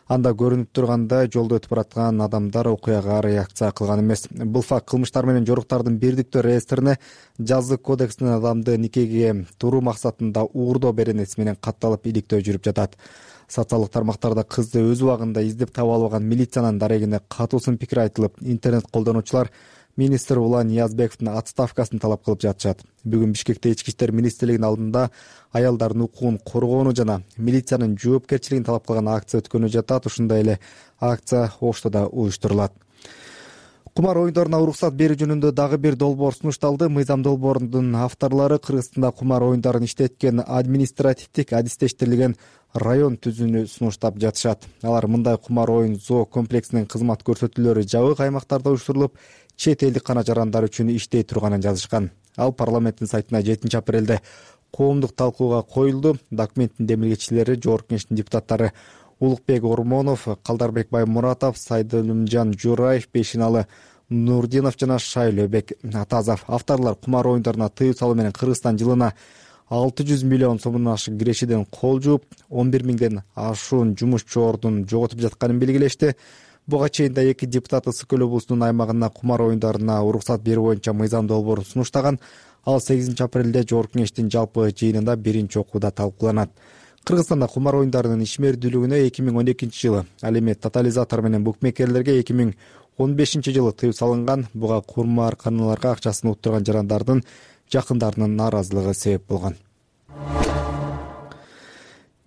Анда көрүнүп тургандай жолдо өтүп бараткан адамдар окуяга реакция кылган эмес. Бул факт кылмыштар менен жоруктардын бирдиктүү реестрине жазык кодексинин адамды никеге туруу максатында уурдоо беренеси менен катталып иликтөө жүрүп жатат. Социалдык тармактарда кызды өз убагында издеп таба албаган милициянын дарегине катуу сын пикир айтылып, интернет колдонуучулар министр Улан Ниязбековдун отставкасын талап кылып жатышат. Бүгүн Бишкекте ички иштер министрлигинин алдында аялдардын укугун коргоону жана милициянын жоопкерчилигин талап кылган акция өткөнү жатат. Ушундай эле акция Ошто уюштурулат. Кумар оюндарына уруксат берүү жөнүндө дагы бир долбоор сунушталды. Мыйзам долбоорунун авторлору Кыргызстанда кумар оюндарын иштеткен административдик адистештирилген район түзүүнү сунуштап жатышат. Алар мындай кумар оюн зоо комплексинин кызмат көрсөтүүлөрү жабык аймактарда уюштурулуп, чет элдик кана жарандар үчүн иштей турганын жазышкан. Ал парламенттин сайтына 7 апрелде коомдук талкууга коюлду. Документтин демилгечилери Жогорку Кеңештин депутаттары Улукбек Ормонов, Калдарбек Баймуратов, Сайдылымжан Жураев, Пешиналы Нурдинов жана Шайлөбек Атазов. Авторлор кумар оюндарына тыюу салуу менен Кыргызстан жылына 600 миллион сомдон ашык кирешеден кол жууп, 11 миңден ашуун жумушчу ордун жоготуп жатканын белгилешти. Буга чейин да 2 депутат Ысык көл облусунун аймагына кумар оюндарына уруксат берүү боюнча мыйзам долбоорун сунуштаган. Ал 8 апрелде Жогорку Кеңештин жалпы жыйынында биринчи окууда талкууланат. Кыргызстанда кумар оюндарынын ишмердүүлүгүнө 2012 жылы, ал эми тотализатор менен букмекерлерге 2015 жылы тыюу салынган. Буга кумарканаларга акчасын уттурган жарандардын жакындарынын нааразылыгы себеп болгон.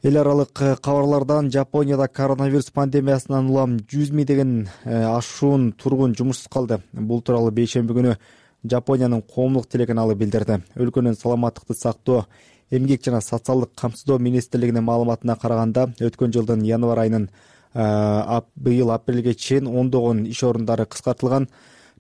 Эл аралык кабарлардан Жапонияда коронавирус пандемиясынан улам 100 миңдеген ашуун тургун жумушсуз калды. Бул тууралуу бейшемби күнү Жапониянын коомдук телеканалы билдирди. Өлкөнүн саламаттыкты сактоо, эмгек жана социалдык камсыздоо министрлигинин маалыматына караганда, өткөн жылдын январь айынын быйыл апрелге чейин ондогон иш орундары кыскартылган.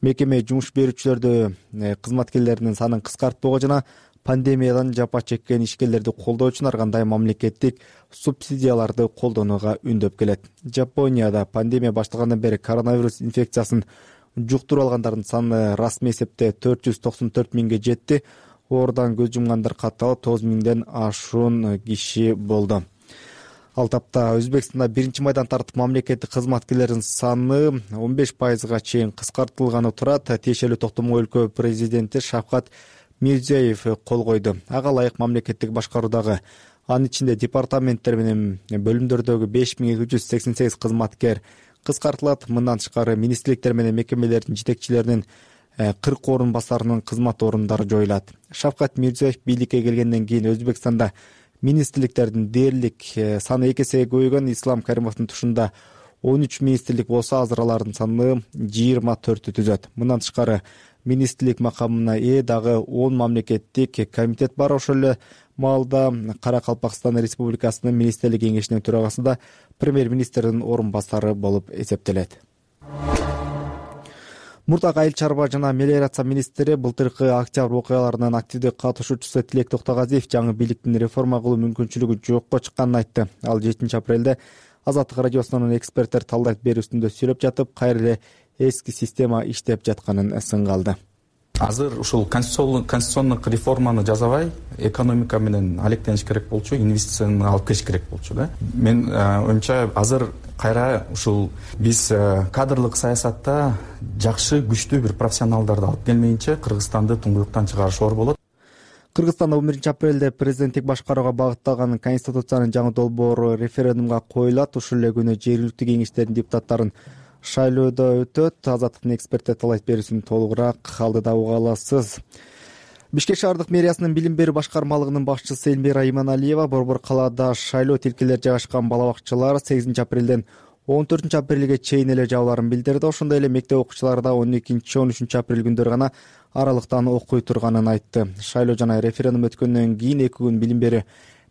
Мекеме жумуш берүүчүлөрдү кызматкерлеринин санын кыскартпоого жана пандемиядан жапа чеккен ишкерлерди колдоо үчүн ар кандай мамлекеттик субсидияларды колдонууга үндөп келет. Жапонияда пандемия башталгандан бери коронавирус инфекциясын жуктуруп алгандардын саны расмий эсепте 494 миңге жетти. Оорудан көз жумгандар катталып 9 миңден ашуун киши болду. Ал тапта Өзбекстанда 1-майдан тартып мамлекеттик кызматкерлердин саны 15%га чейин кыскартылганы турат. Тиешелүү токтомго өлкө президенти Шавкат Мирзиёев кол койду. Ага ылайык мамлекеттик башкаруудагы Анын ичинде департаменттер менен бөлүмдөрдөгү 5288 кызматкер кыскартылат. Мындан тышкары министрликтер менен мекемелердин жетекчилеринин 40 орун басарынын кызмат орундары жоюлат. Шавкат Мирзиёев бийликке келгенден кийин Өзбекстанда министрликтердин дээрлик саны 2 эсеге көбөйгөн. Ислам Каримовдун тушунда 13 министрлик болсо, азыр алардын саны 24 түзөт. Мындан тышкары министрлик макамына ээ дагы 10 мамлекеттик комитет бар. Ошол эле маалда Каракалпакстан Республикасынын министрлик кеңешинин төрагасы да премьер-министрдин орун басары болуп эсептелет. Мурдагы айыл чарба жана мелиорация министри былтыркы октябрь окуяларынын активдүү катышуучусу Тилек Токтогазиев жаңы бийликтин реформа кылуу мүмкүнчүлүгү жокко чыкканын айтты. Ал 7 апрелде Азаттык радиосунун эксперттер талдайт берүүсүндө сүйлөп жатып, кайра эле эски система иштеп жатканын сынга алды. Азыр ушул конституциондук реформаны жасабай, экономика менен алектениш керек болчу, инвестицияны алып келиш керек болчу да. Мен оюмча азыр кайра ушул биз кадрлык саясатта жакшы, күчтүү бир профессионалдарды алып келмейинче Кыргызстанды туңгуюктан чыгарыш оор болот. Кыргызстанда 11 апрелде президенттик башкарууга багытталган конституциянын жаңы долбоору референдумга коюлат. Ушул эле күнү жергиликтүү кеңештердин депутаттарын шайлоодо өтөт. Азаттыктын эксперттер талайт берүүсүн толугураак алдыда уга аласыз. Бишкек шаардык мэриясынын билим берүү башкармалыгынын башчысы Элмира Иманалиева борбор калаада шайлоо тилкелер жайгашкан бала бакчалар 8 апрелден 14 апрелге чейин эле жабыларын билдирди. Ошондой эле мектеп окуучулары да 12-13 апрель күндөрү гана аралыктан окуй турганын айтты. Шайлоо жана референдум өткөндөн кийин 2 күн билим берүү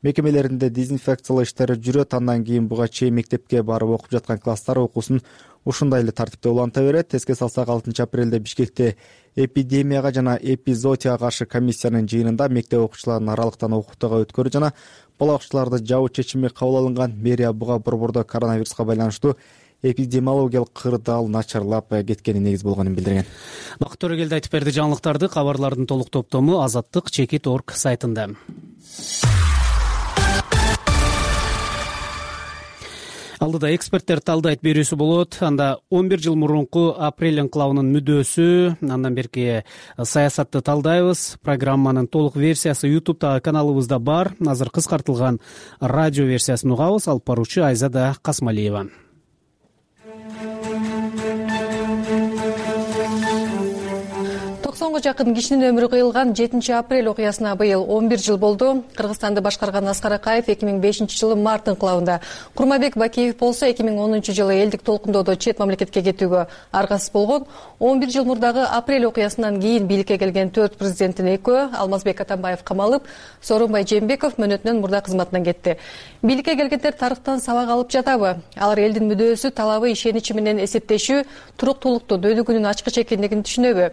мекемелеринде дезинфекциялоо иштери жүрөт. Андан кийин буга чейин мектепке барып окуп жаткан класстар окуусун ушундай эле тартипте уланта берет. Эске салсак, 6 апрелде Бишкекте эпидемияга жана эпизоотияга каршы комиссиянын жыйынында мектеп окуучуларын аралыктан окуутууга өткөрүү жана бала бакчаларды жабуу чечими кабыл алынган. Мэрия буга борбордо коронавируска байланыштуу эпидемиологиялык кырдаал начарлап кеткени негиз болгонун билдирген. Бакыт Төрөгелди айтып берди. Жаңылыктарды кабарлардын толук топтому azattik.org сайтында. Алдыда эксперттер талдайт берүүсү болот. Анда 11 жыл мурунку апрель инкылабынын мүдөөсү, андан берки саясатты талдайбыз. Программанын толук версиясы YouTube'дагы каналыбызда бар. Азыр кыскартылган радио версиясын угабыз. Алып баруучу Айзада Касмалиева. Жакын кишинин өмүрү кыйылган 7 апрель окуясына быйыл 11 жыл болду. Кыргызстанды башкарган Аскар Акаев 2005 жылы март инкылабында, Курманбек Бакиев болсо 2010 жылы элдик толкундоодо чет мамлекетке кетүүгө аргасыз болгон. 11 жыл мурдагы апрель окуясынан кийин бийликке келген 4 президенттин экөө, Алмазбек Атамбаев камалып, Сооронбай Жээнбеков мөөнөтүнөн мурда кызматынан кетти. Бийликке келгендер тарыхтан сабак алып жатабы? Алар элдин мүдөөсү, талабы, ишеничи менен эсептешүү, туруктуулукту, дөйдүгүнүн ачкыч экендигин түшүнөбү?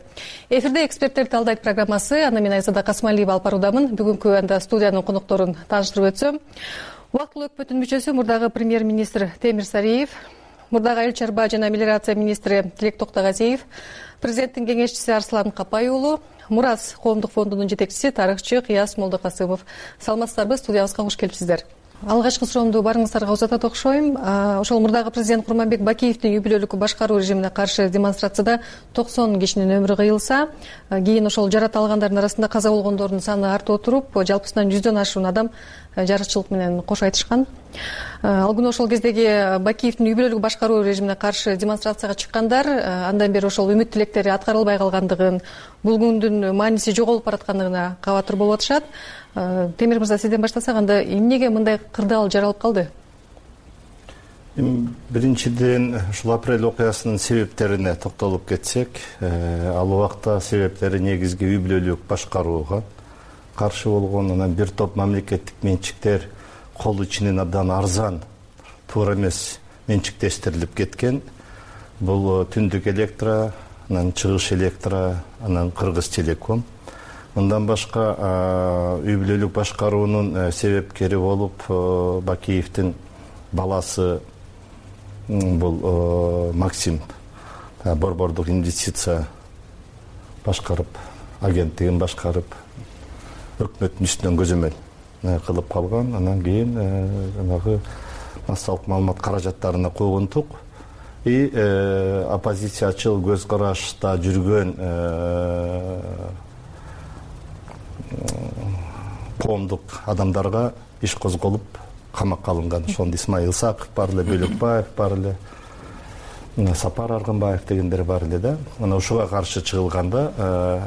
Эфирде эксперттер талдайт программасы. Аны мен Айзада Касмалиева алып баруудамын. Бүгүнкү анда студиянын конокторун тааныштырып өтсөм. Убактылуу өкмөттүн мүчөсү, мурдагы премьер-министр Темир Сариев, мурдагы айыл чарба жана мелиорация министри Тилек Токтогазиев, президенттин кеңешчиси Арслан Капай уулу, Мурас коомдук фондунун жетекчиси, тарыхчы Кыяс Молдокасымов. Саламатсыздарбы? Студиябызга кош келипсиздер. Алгачкы суроомду барыңыздарга узатат окшойм. Ошол мурдагы президент Курманбек Бакиевдин юбилейлүк башкаруу режимине каршы демонстрацияда 90 кишинин өмүрү кыйылса, кийин ошол жарата алгандардын арасында каза болгондордун саны артып отуруп, жалпысынан 100дөн ашуун адам жарычылык менен кош айтышкан. Ал күнү ошол кездеги Бакиевдин юбилейлүк башкаруу режимине каршы демонстрацияга чыккандар андан бери ошол үмүт тилектери аткарылбай калгандыгын, бул күндүн мааниси жоголуп бараткандыгына кабатыр болуп атышат. Темир мырза, сизден баштасак, анда эмнеге мындай кырдаал жаралып калды? Биринчиден, ушул апрель окуясынын себептерине токтолуп кетсек, ал убакта себептери негизги юбилейлүк башкарууга каршы болгон, анан бир топ мамлекеттик менчиктер кол ичинен абдан арзан, туура эмес менчиктештирилип кеткен. Бул Түндүк Электро, анан Чыгыш Электро, анан Кыргыз Телеком. Мындан башка юбилейлүк башкаруунун себепкери болуп Бакиевдин баласы бул Максим борбордук инвестиция башкарып, агенттигин башкарып, өкмөттүн үстүнөн көзөмөл кылып калган. Анан кийин жанагы массалык маалымат каражаттарына койгонтук. И оппозициячыл көз карашта жүргөн коомдук адамдарга иш козголуп камакка алынган. Ошондо Исмаил Исаков бар эле, Бөлөкбаев бар эле, Сапар Аргынбаев дегендер бар эле да. Мына ушуга каршы чыгылганда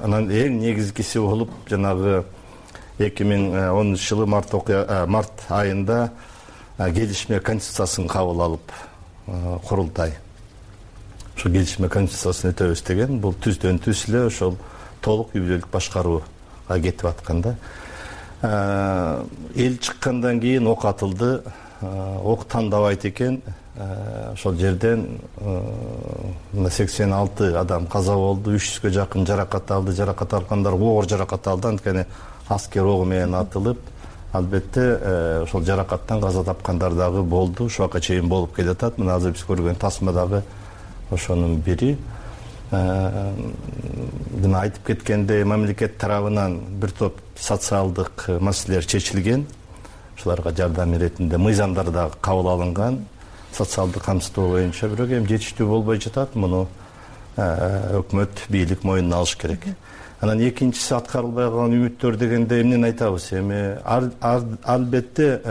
анан эң негизгиси болуп жанагы 2010 жылы март айында келишме конституциясын кабыл алып курултай. Ошо келишме конституциясын өтөбүз деген, бул түздөн түз эле ошол толук үй бүлөлүк башкарууга кетип аткан да. Эл чыккандан кийин ок атылды, ок тандабайт экен. Ошол жерден 86 адам каза болду, 300гө жакын жаракат алды. Жаракат алгандар оор жаракат алды, анткени аскер огу менен атылып, албетте ошол жаракаттан каза тапкандар дагы болду. Ушуга чейин болуп келатат. Мына азыр биз көргөн тасма дагы ошонун бири. Жана айтып кеткендей, мамлекет тарабынан бир топ социалдык маселелер чечилген. Ошолорго жардам иретинде мыйзамдар дагы кабыл алынган. Социалдык камсыздоо боюнча, бирок эми жетиштүү болбой жатат. Муну өкмөт, бийлик мойнуна алыш керек. Анан экинчиси аткарылбай калган үмүттөр дегенде эмнени айтабыз? Эми албетте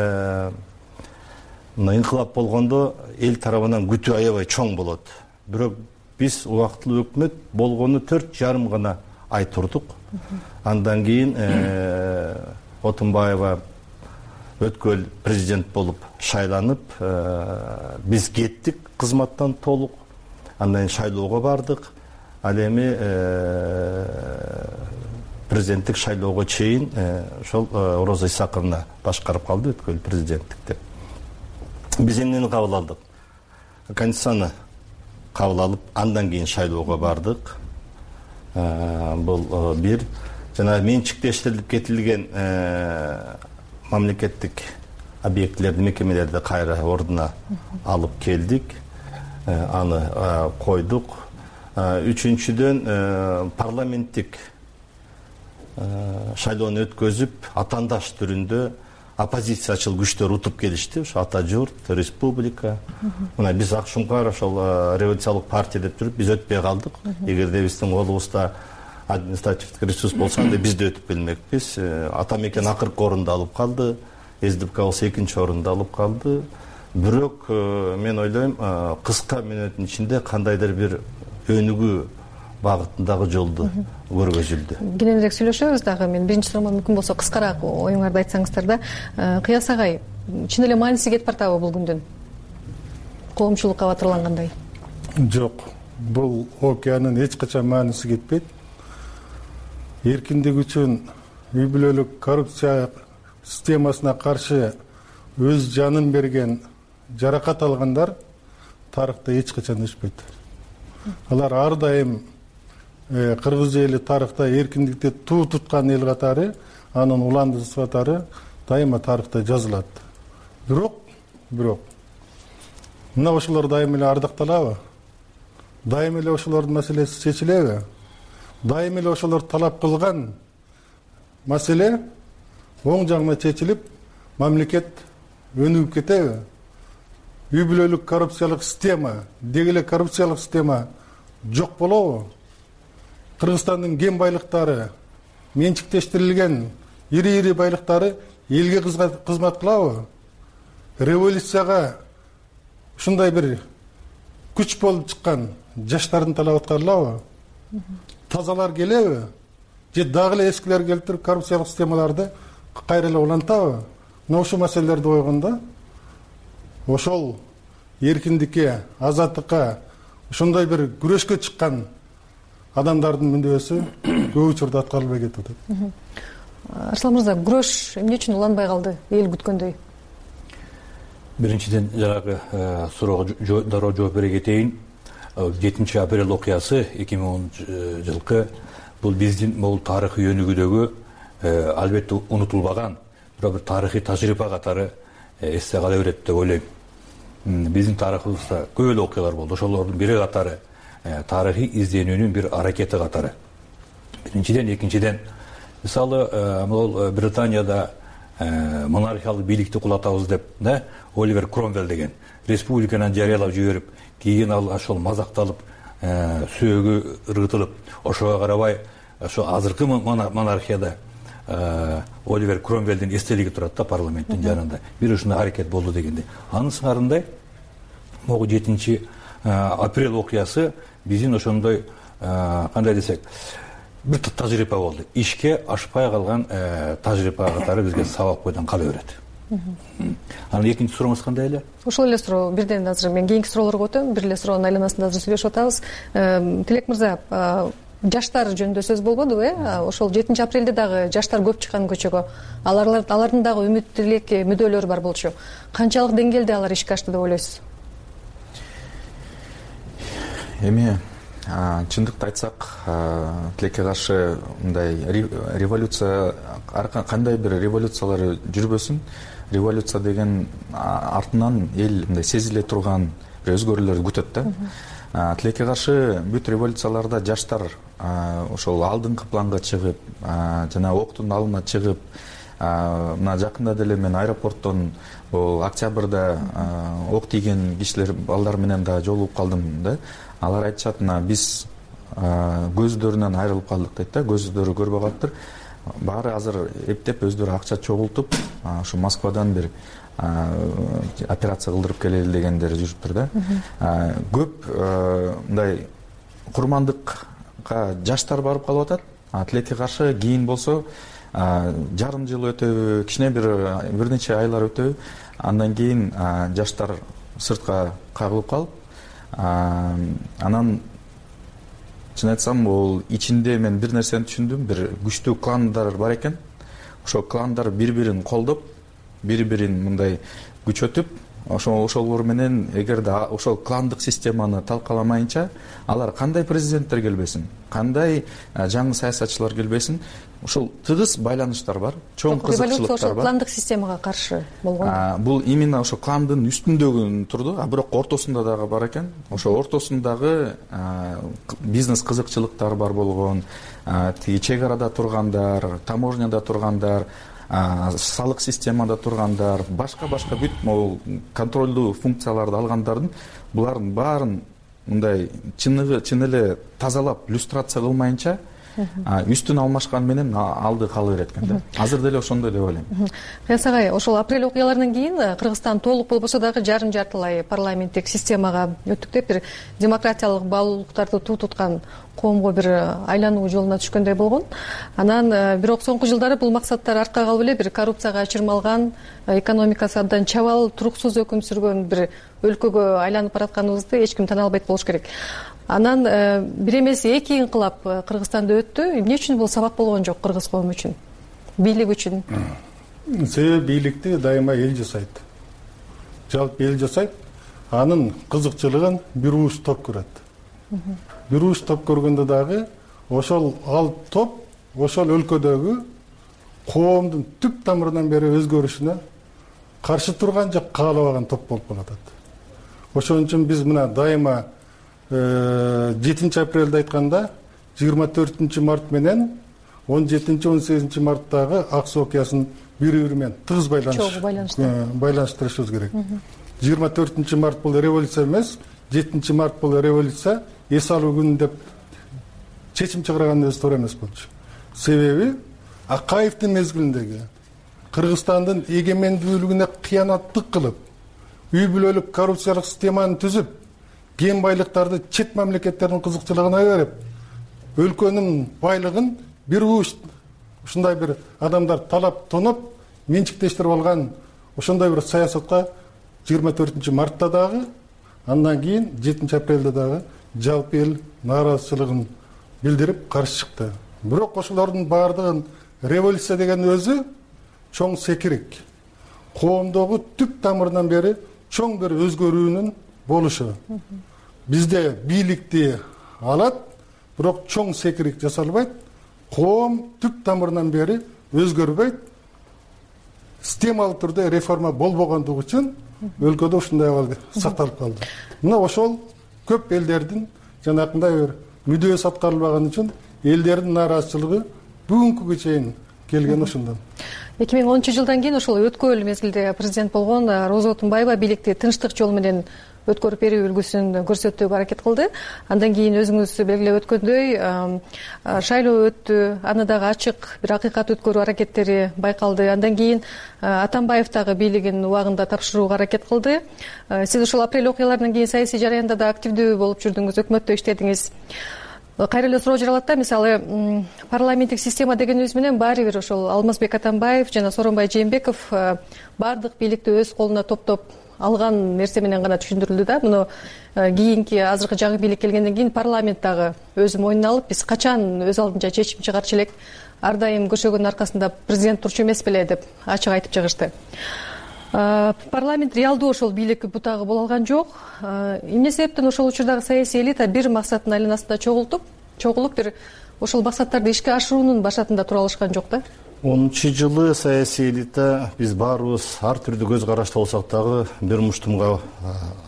мына инкылап болгондо эл тарабынан күтүү аябай чоң болот. Бирок биз убактылуу өкмөт болгону 4,5 гана ай турдук. Андан кийин Отунбаева өткөл президент болуп шайланып, биз кеттик кызматтан толук. Андан шайлоого бардык. Ал эми президенттик шайлоого чейин ошол Роза Исаковна башкарып калды өткөл президенттикти. Биз эмнени кабыл алдык? Конституцияны кабыл алып, андан кийин шайлоого бардык. Бул бир жана менчиктештирилип кетилген мамлекеттик объектилерди, мекемелерди кайра ордуна алып келдик. Аны койдук. Үчүнчүдөн парламенттик шайлоону өткөзүп, атаандаш түрүндө оппозициячыл күчтөр утуп келишти. Ошо Ата журт, Республика. Мына биз Ак Шуңкар ошол революциялык партия деп туруп биз өтпөй калдык. Эгерде биздин колубузда административдик ресурс болсо, анда биз да өтүп келмекпиз. Ата мекен акыркы орунду алып калды. СДПК болсо экинчи орунду алып калды. Бирок мен ойлойм, кыска мүнөттүн ичинде кандайдыр бир өнүгүү багытындагы жолду көргөзүлдү. Кененирээк сүйлөшөбүз дагы. Мен биринчи суроомон мүмкүн болсо кыскараак оюңарды айтсаңыздар да. Кыяс агай, чын эле мааниси кетип бартабы бул күндүн? Коомчулукка батырлангандай. Жок, бул окуянын эч качан мааниси кетпейт. Эркиндик үчүн үй бүлөлүк коррупция системасына каршы өз жанын берген, жаракат алгандар тарыхта эч качан өчпөйт. Алар ар дайым кыргыз эли тарыхта эркиндикти туу туткан эл катары, анын уланды сыфаттары дайыма тарыхта жазылат. Бирок мына ошолор дайым эле ардакталабы? Дайым эле ошолордун маселеси чечилеби? Дайым эле ошолор талап кылган маселе оң жагына чечилип, мамлекет өнүгүп кетеби? Үй бүлөлүк коррупциялык система, деги эле коррупциялык система жок болобу? Кыргызстандын кен байлыктары, менчиктештирилген ири байлыктары элге кызмат кылабы? Революцияга ушундай бир күч болуп чыккан жаштардын талабы аткарылабы? Тазалар келеби? Же дагы эле эскилер келип туруп коррупциялык системаларды кайра эле улантабы? Мына ушул маселелерди койгондо ошол эркиндикке, азаттыкка, ошондой бир күрөшкө чыккан адамдардын мүндөсү көп учурда аткарылбай кетип атат. Арслан мырза, күрөш эмне үчүн уланбай калды эл күткөндөй? Биринчиден жанагы суроого дароо жооп бере кетейин. 7 апрель окуясы 2010 жылкы бул биздин бул тарыхый өнүгүүдөгү албетте унутулбаган бир тарыхый тажрыйба катары эсте кала берет деп ойлойм. Биздин тарыхыбызда көп эле окуялар болду. Ошолордун бири катары тарыхый изденүүнүн бир аракети катары. Биринчиден, экинчиден, мисалы, могул Британияда монархиялык бийликти кулатабыз деп, Оливер Кромвелл деген республиканы жарыялап жиберип, кийин ал ошол мазакталып, сөөгү ыргытылып, ошого карабай, ошо азыркы монархияда Оливер Кромвелдин эстелиги турат да парламенттин жанында. Бир ушундай аракет болду дегенде. Анын сыңарындай могу 7 апрель окуясы биздин ошондой кандай десек бир тажрыйба болду. Ишке ашпай калган тажрыйба катары бизге сабак бойдон кала берет. Анан экинчи сурооңуз кандай эле? Ошол эле суроо. Бирден азыр мен кийинки суроолорго өтөм. Бир эле суроонун айланасында азыр сүйлөшүп атабыз. Тилек мырза, жаштар жөнүндө сөз болбодубу, Ошол 7 апрелде дагы жаштар көп чыккан көчөгө. Алардын дагы үмүт тилек, мүдөлөрү бар болчу. Канчалык деңгээлде алар ишке ашты деп ойлойсуз? Эми чындыкты айтсак, тилекке каршы мындай революция, кандай бир революциялар жүрбөсүн, революция деген артынан эл мындай сезиле турган бир өзгөрүүлөрдү күтөт да. Тилекке каршы бүт революцияларда жаштар ошол алдыңкы планга чыгып, жана октун алдына чыгып, мына жакында деле мен аэропорттон бул октябрда ок тийген кишилер, балдар менен да жолугуп калдым да. Алар айтышат, биз көздөрүнөн айрылып калдык дейт да, көздөрү көрбөй калыптыр. Баары азыр эптеп өздөрү акча чогултуп, ушу Москвадан бир операция кылдырып келели дегендер жүрүптүр да. Көп мындай курмандыкка жаштар барып калып атат. Тилекке каршы кийин болсо жарым жыл өтөбү, кичине бир нече айлар өтөбү, андан кийин жаштар сыртка кагылып калып, анан чын айтсам, ол ичинде мен бир нерсени түшүндүм, бир күчтүү кландар бар экен. Ошол кландар бири-бирин колдоп, бири-бирин мындай күчөтүп, ошолор менен эгерде ошол кландык системаны талкаламайынча, алар кандай президенттер келбесин, кандай жаңы саясатчылар келбесин, ошол тыгыз байланыштар бар, чоң кызыкчылыктар бар. Революция ошол кландык системага каршы болгон. Бул именно ошо кландын үстүндөгү турду, бирок ортосунда дагы бар экен. Ошо ортосундагы бизнес кызыкчылыктар бар болгон, тиги чек арада тургандар, таможняда тургандар, салык системада тургандар, башка бүт могул контролдуу функцияларды алгандардын, булардын баарын мындай чын эле тазалап, люстрация кылмайынча үстүн алмашкан менен алды кала берет экен да. Азыр деле ошондой деп ойлойм. Кыяс агай, ошол апрель окуяларынан кийин Кыргызстан толук болбосо дагы жартылай парламенттик системага өттүк деп, бир демократиялык баалуулуктарды туу туткан коомго бир айлануу жолуна түшкөндөй болгон. Анан бирок соңку жылдары бул максаттар артка калып эле бир коррупцияга чырмалган, экономикасы абдан чабал, туруксуз өкүм сүргөн бир өлкөгө айланып баратканыбызды эч ким тана албайт болуш керек. Анан бир эмес 2 инкылап Кыргызстанда өттү. Эмне үчүн бул сабак болгон жок кыргыз коому үчүн? Бийлик үчүн? Себеби бийликти дайыма эл жасайт. Жалпы эл жасайт. Анын кызыкчылыгын бир уус топ көрөт. Бир уус топ көргөндө дагы ошол топ ошол өлкөдөгү коомдун түп тамырынан бери өзгөрүшүнө каршы турган же каалабаган топ болуп калат. Ошон үчүн биз мына дайыма 7 апрелде айтканда 24 март менен 17-18 марттагы ак суу окуясын бири-бири менен тыгыз байланыштырышыбыз керек. 24 март бул революция эмес, 7 март бул революция, эс алуу күнү деп чечим чыгарганыбыз туура эмес болчу. Себеби Акаевдин мезгилиндеги Кыргызстандын эгемендүүлүгүнө кыянаттык кылып, үй бүлөлүк коррупциялык системаны түзүп, кен байлыктарды чет мамлекеттердин кызыкчылыгына берип, өлкөнүн байлыгын бир уус ушундай бир адамдар талап тоноп, менчиктештирип алган ошондой бир саясатка 24 мартта дагы, андан кийин 7 апрелде дагы жалпы эл нааразычылыгын билдирип каршы чыкты. Бирок ошолордун баардыгын революция деген өзү чоң секирик, коомдогу түп тамырынан бери чоң бир өзгөрүүнүн болушу. Бизде бийликти алат, бирок чоң секирик жасалбайт, коом түп тамырынан бери өзгөрбөйт. Системалуу түрдө реформа болбогондугу үчүн өлкөдө ушундай абал сакталып калды. Мына ошол көп элдердин жанакындай бир мүдөөсү аткарылбаган үчүн элдердин нааразычылыгы бүгүнкүгө чейин келген ошондон. 2010 жылдан кийин ошол өткөл мезгилде президент болгон Роза Отунбаева бийликти тынчтык жол менен өткөрүп берүү үлгүсүн көрсөтүүгө аракет кылды. Андан кийин өзүңүз белгилеп өткөндөй шайлоо өттү, аны дагы ачык бир акыйкат өткөрүү аракеттери байкалды. Андан кийин Атамбаев дагы бийлигин убагында тапшырууга аракет кылды. Сиз ушул апрель окуяларынан кийин саясий жараянда да активдүү болуп жүрдүңүз, өкмөттө иштедиңиз. Кайра эле суроо жаралат да, мисалы парламенттик система дегенибиз менен баары бир ошол Алмазбек Атамбаев жана Сооронбай Жээнбеков баардык бийликти өз колуна топтоп алган нерсе менен гана түшүндүрүлдү да. Муну кийинки азыркы жаңы бийлик келгенден кийин парламент дагы өзү мойнуна алып, биз качан өз алдынча чечим чыгарчу элек, ар дайым көшөгөнүн аркасында президент турчу эмес беле деп ачык айтып чыгышты. Парламент реалдуу ошол бийлик бутагы боло алган жок. Эмне себептен ошол учурдагы саясий элита бир максаттын айланасында чогулуп бир ошол максаттарды ишке ашыруунун башатында тура алышкан жок да? 10-жылы саясий элита биз баарыбыз ар түрдүү көз карашта болсок дагы бир муштумга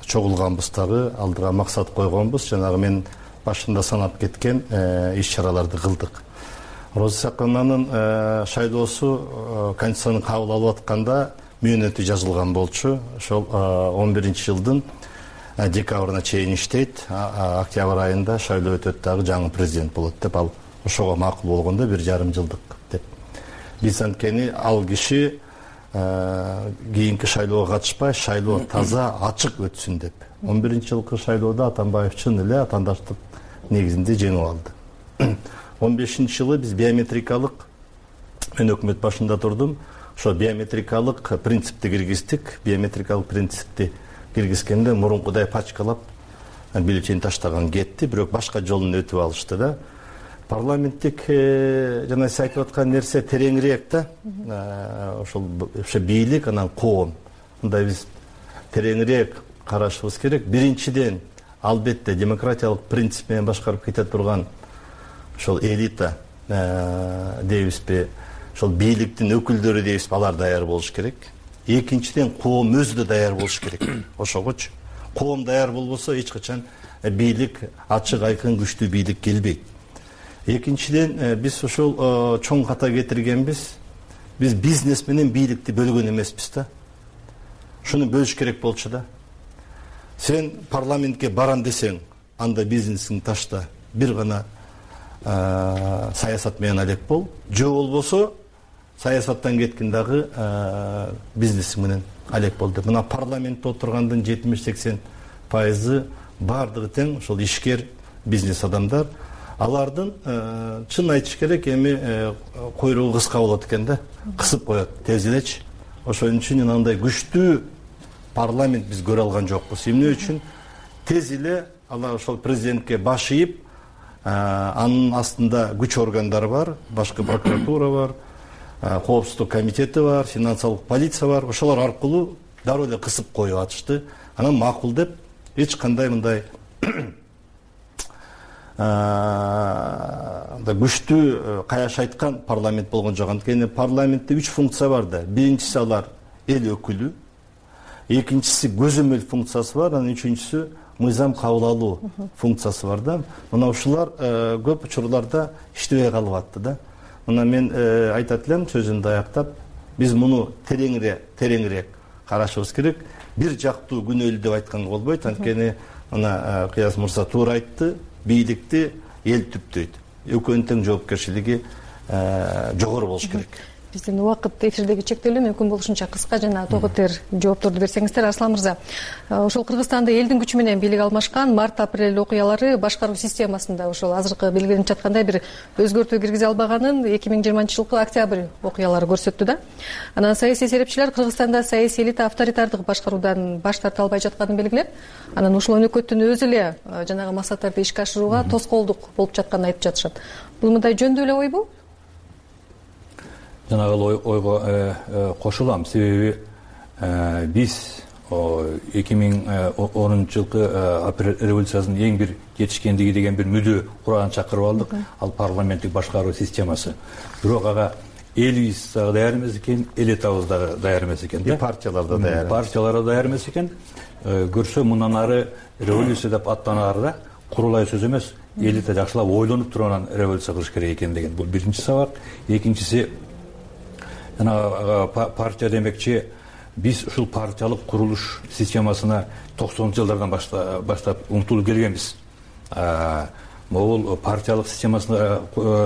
чогулганбыз дагы, алдыга максат койгонбуз. Жанагы мен башында санап кеткен иш чараларды кылдык. Роза Сакынанын шайлоосу Конституцияны кабыл алып атканда мөөнөтү жазылган болчу. Ошол 11-жылдын декабрына чейин иштейт, октябрь айында шайлоо өтөт дагы жаңы президент болот деп, ал ошого макул болгондо 1,5 жылдык деп. Биз анткени ал киши кийинки шайлоого катышпай, шайлоо таза ачык өтсүн деп. 11-жылкы шайлоодо Атамбаев чын эле атаандаштык негизинде жеңип алды. 15-жылы биз биометрикалык, мен өкмөт башында турдум, ошо биометрикалык принципти киргиздик. Биометрикалык принципти киргизгенде мурункудай пачкалап бюллетень таштаган кетти, бирок башка жолун өтүп алышты да. Парламенттик жана сиз айтып аткан нерсе тереңирээк да. Ошол бийлик анан коом. Мындай биз тереңирээк карашыбыз керек. Биринчиден, албетте демократиялык принцип менен башкарып кете турган ошол элита дейбизби, ошол бийликтин өкүлдөрү дейбизби, алар даяр болуш керек. Экинчиден, коом өзү да даяр болуш керек. Ошогочу коом даяр болбосо эч качан бийлик ачык, айкын, күчтүү бийлик келбейт. Экинчиден, биз ошол чоң ката кетиргенбиз. Биз бизнес менен бийликти бөлгөн эмеспиз да. Шуну бөлүш керек болчу да. Сен парламентке барам десең, анда бизнесиңди ташта, бир гана саясат менен алек бол. Жо болбосо саясаттан кеткин дагы бизнесиң менен алек бол деп. Мына парламентте отургандын 70-80% бардыгы тең ошол ишкер бизнес адамдар. Алардын чын айтыш керек, эми койругу кыска болот экен да, кысып коет, тез элечи. Ошон үчүн андай күчтүү парламент биз көрө алган жокпуз. Эмне үчүн тез эле алар ошол президентке баш ийип, анын астында күч органдары бар, башкы прокуратура бар, коопсуздук комитети бар, финансылык полиция бар. Ошолор аркылуу дароо эле кысып коюп атышты. Анан макул деп эч кандай мындай күчтүү каяш айткан парламент болгон жок. Анткени парламентте 3 функция бар да. Биринчиси алар эл өкүлү, экинчиси көзөмөл функциясы бар, анан үчүнчүсү мыйзам кабыл алуу функциясы бар да. Мына ушулар көп учурларда иштебей калып атты да. Мына мен айтат элем сөзүмдү аяктап, биз муну тереңирээк карашыбыз керек. Бир жактуу күнөөлүү деп айтканга болбойт. Анткени мына Кыяз мырза туура айтты, бийликти эл түптөйт. Экөөнүн тең жоопкерчилиги жогору болуш керек. Биздин убакыт эфирдеги чектелүү, мүмкүн болушунча кыска жана тоготер жоопторду берсеңиздер. Арслан мырза, ошол Кыргызстанда элдин күчү менен бийлик алмашкан март-апрель окуялары башкаруу системасында ошол азыркы белгиленип жаткандай бир өзгөртүү киргизе албаганын 2020-жылкы октябрь окуялары көрсөттү да. Анан саясий серепчилер Кыргызстанда саясий элита авторитардык башкаруудан баш тарта албай жатканын белгилеп, анан ушул өнөкөттүн өзү эле жанагы максаттарды ишке ашырууга тоскоолдук болуп жатканын айтып жатышат. Бул мындай жөндүү эле ойбу? Жанагы ойго кошулам. Себеби биз 2010-жылкы апрель революциясынын эң бир жетишкендиги деген бир мүдө кураган чакырып алдык. Ал парламенттик башкаруу системасы. Бирок ага элибиз дагы даяр эмес экен, элитабыз дагы даяр эмес экен да. Партиялар да даяр. Партиялар да даяр эмес экен. Көрсө мындан ары революция деп аттанаарда курулай сөз эмес, элита жакшылап ойлонуп туруп анан революция кылыш керек экен деген. Бул биринчи сабак. Экинчиси, партия демекчи биз ушул партиялык курулуш системасына 90-жылдардан баштап умтулуп келгенбиз. Могул партиялык системасына,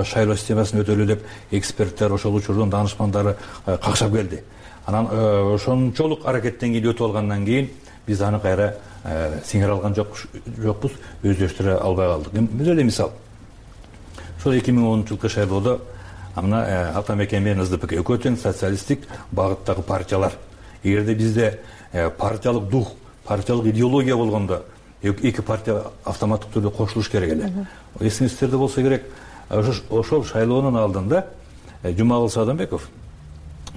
шайлоо системасын өтөлү деп эксперттер, ошол учурдун данышмандары какшап келди. Анан ошончолук аракеттен кийин өтүп алгандан кийин биз аны кайра сиңире алган жокпуз, өздөштүрө албай калдык. Бир эле мисал. Ошол 2010-жылкы шайлоодо мына Атамекен менен СДПК экөө тең социалисттик багыттагы партиялар. Эгерде бизде партиялык дух, партиялык идеология болгондо эки партия автоматтык түрдө кошулуш керек эле. Эсиңизде болсо керек, ошол шайлоонун алдында Жумагул Садамбеков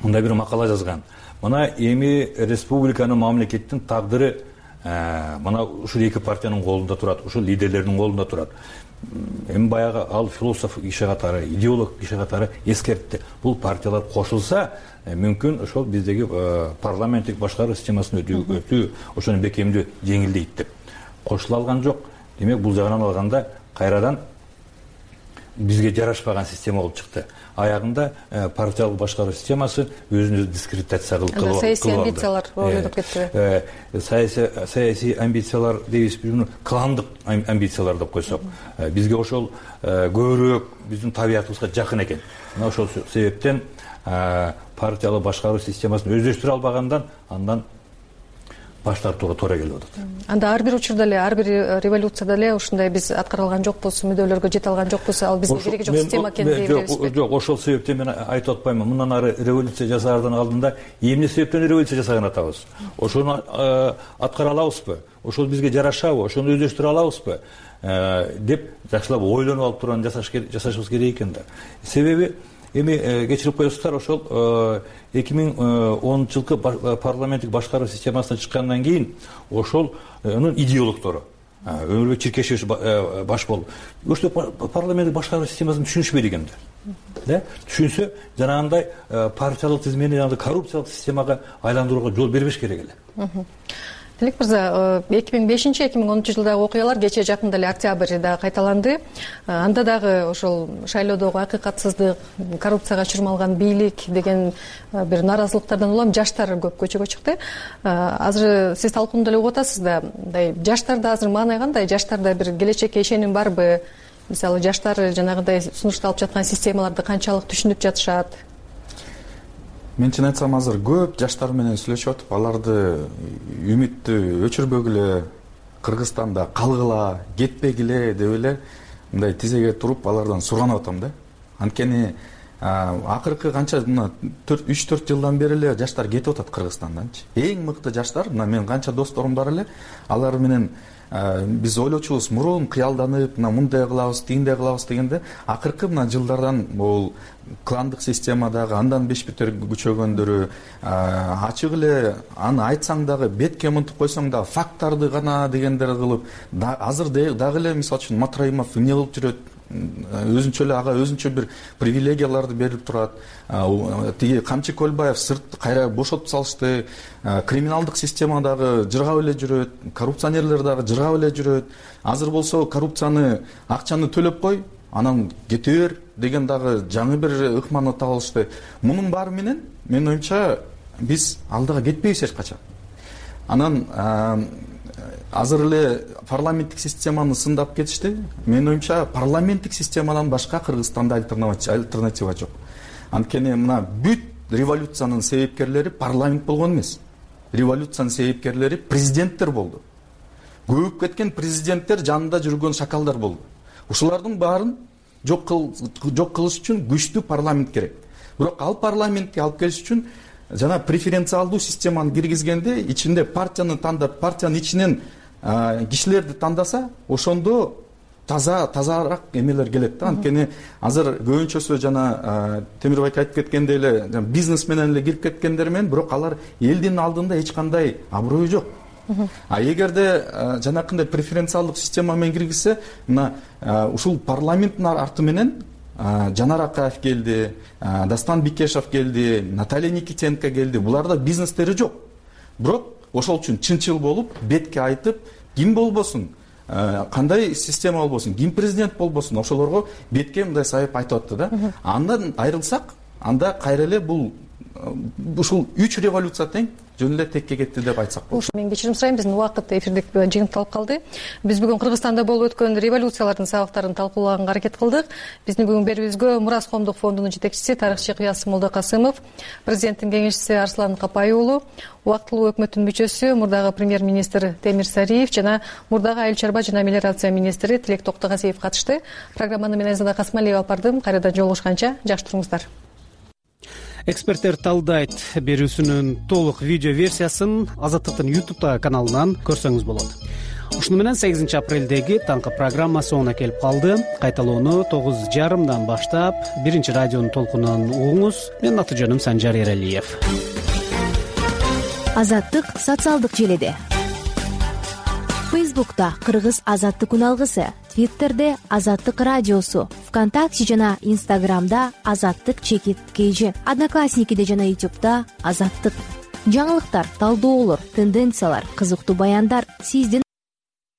мындай бир макала жазган. Мына эми республиканын, мамлекеттин тагдыры мына ушул эки партиянын колунда турат, ушул лидерлердин колунда турат. Эми баягы ал философ киши катары, идеолог киши катары эскертти. Бул партиялар кошулса, мүмкүн ошол биздеги парламенттик башкаруу системасын өтүү ошону бекемдөө жеңилдейт деп. Кошула алган жок. Демек бул жагынан алганда кайрадан бизге жарашпаган система болуп чыкты. Аягында партиялык башкаруу системасы өзүн өзү дискредитация кылып. Саясий амбициялар ойлонуп кетти. Саясий амбициялар дейбиз, кландык амбициялар деп койсок, бизге ошол көбүрөөк биздин табиятыбызга жакын экен. Мына ошол себептен партиялык башкаруу системасын өздөштүрө албагандан андан баш тартууга туура келип атат. Анда ар бир учурда эле, ар бир революцияда эле ушундай биз аткара алган жокпуз, мүдөлөргө жете алган жокпуз, ал бизге кереги жок система экенин билебизби? Жок, ошол себептен мен айтып атпаймынбы. Мындан ары революция жасаардан алдында эмне себептен революция жасаган атабыз? Ошону аткара алабызбы? Ошол бизге жарашабы? Ошону өздөштүрө алабызбы? Деп жакшылап ойлонуп алып турган жасашыбыз керек экен да. Себеби эми кечирип коесуздар, ошол 2010-жылкы парламенттик башкаруу системасына чыккандан кийин ошолнун идеологтору Өмүрбек Чиркешевич баш болуп, ошол парламенттик башкаруу системасын түшүнүшпөйт экенди. Түшүнсө, жанагындай партиялык тизмени, жанагындай коррупциялык системага айландырууга жол бербеш керек эле. Тилек мырза, 2005-2010 жылдагы окуялар кечээ жакында эле октябрда кайталанды. Анда дагы ошол шайлоодогу акыйкатсыздык, коррупцияга чурмалган бийлик деген бир нааразылыктардан улам жаштар көп көчөгө чыкты. Азыр сиз талкуунда эле угуп атасыз да, мындай жаштарда азыр маанай кандай? Жаштарда бир келечекке ишеним барбы? Мисалы, жаштар жанагындай сунушталып жаткан системаларды канчалык түшүнүп жатышат? Мен чын айтсам, азыр көп жаштар менен сүйлөшүп атып, аларды үмүттү өчүрбөгүлө, Кыргызстанда калгыла, кетпегиле деп эле мындай тизеге туруп алардан суранып атам да. Анткени акыркы канча 3-4 жылдан бери эле жаштар кетип атат Кыргызстанданчы. Эң мыкты жаштар, мына мен канча досторум бар эле, алар менен биз ойлочубуз, мурун кыялданып, мындай кылабыз, тигиндей кылабыз дегенде, акыркы мына жылдардан бул кландык системадагы андан бешбетер күчөгөндөрү, ачык эле аны айтсаң дагы, бетке мынтип койсоң да факттарды гана дегендер кылып, азыр дагы эле мисалы үчүн Матраимов эмне кылып жүрөт, өзүнчө эле ага өзүнчө бир привилегияларды берип турат. Тиги Камчы Көлбаев сырт кайра бошотуп салышты. Криминалдык системадагы жыргап эле жүрөт, коррупционерлер дагы жыргап эле жүрөт. Азыр болсо коррупцияны, акчаны төлөп кой, анан кете бер деген дагы жаңы бир ыкманы таап алышты. Мунун баары менен менин оюмча биз алдыга кетпейбиз эч качан. Анан азыр эле парламенттик системаны сындап кетишти. Менин оюмча парламенттик системадан башка Кыргызстанда альтернатива жок. Анткени мына бүт революциянын себепкерлери парламент болгон эмес. Революциянын себепкерлери президенттер болду. Көбүп кеткен президенттер жанында жүргөн шакалдар болду. Ушулардын баарын жок кылыш үчүн күчтүү парламент керек. Бирок ал парламентке алып келиш үчүн жана преференциалдуу системаны киргизгенде, ичинде партияны тандап, партиянын ичинен кишилерди тандаса, ошондо тазараак эмелер келет да. Анткени азыр көбүнчөсү жана Темирбек айтып кеткендей эле бизнес менен эле кирип кеткендер менен, бирок алар элдин алдында эч кандай аброю жок. Эгерде жанакындай преференциалдык система менен киргизсе, мына ушул парламенттин арты менен Жанар Акаев келди, Дастан Бикешев келди, Наталья Никитенко келди. Буларда бизнестери жок. Бирок ошол үчүн чынчыл болуп, бетке айтып, ким болбосун, кандай система болбосун, ким президент болбосун, ошолорго бетке мындай сайып айтып атты да. Андан айрылсак, анда кайра эле бул ушул 3 революция тең жөн эле текке кетти деп айтсак болот. Мен кечирим сурайм, биздин убакыт эфирдик жыйынтыкталып калды. Биз бүгүн Кыргызстанда болуп өткөн революциялардын сабактарын талкуулаганга аракет кылдык. Биздин бүгүн берүүбүзгө Мурас коомдук фондунун жетекчиси, тарыхчы Кыясым Молдокасымов, президенттин кеңешчиси Арслан Капай уулу, убактылуу өкмөттүн мүчөсү, мурдагы премьер-министр Темир Сариев жана мурдагы айыл чарба жана мелиорация министри Тилек Токтогазиев катышты. Программаны мен Айзада Касмалиева алып бардым. Кайрадан жолугушканча жакшы туруңуздар. Эксперттер талдайт берүүсүнүн толук видео версиясын Азаттыктын YouTube каналынан көрсөңүз болот. Ушуну менен 8 апрелдеги таңкы программа соңуна келип калды. Кайталоону 9:30 баштап биринчи радионун толкунунан угуңуз. Менин аты жөнүм Санжар Эралиев. Азаттык социалдык желеде. Фейсбукта Кыргыз Азаттык үналгысы, Твиттерде Азаттык радиосу, ВКонтакте жана Инстаграмда Азаттык_KG, Одноклассникиде жана YouTube'да Азаттык. Жаңылыктар, талдоолор, тенденциялар, кызыктуу баяндар сиздин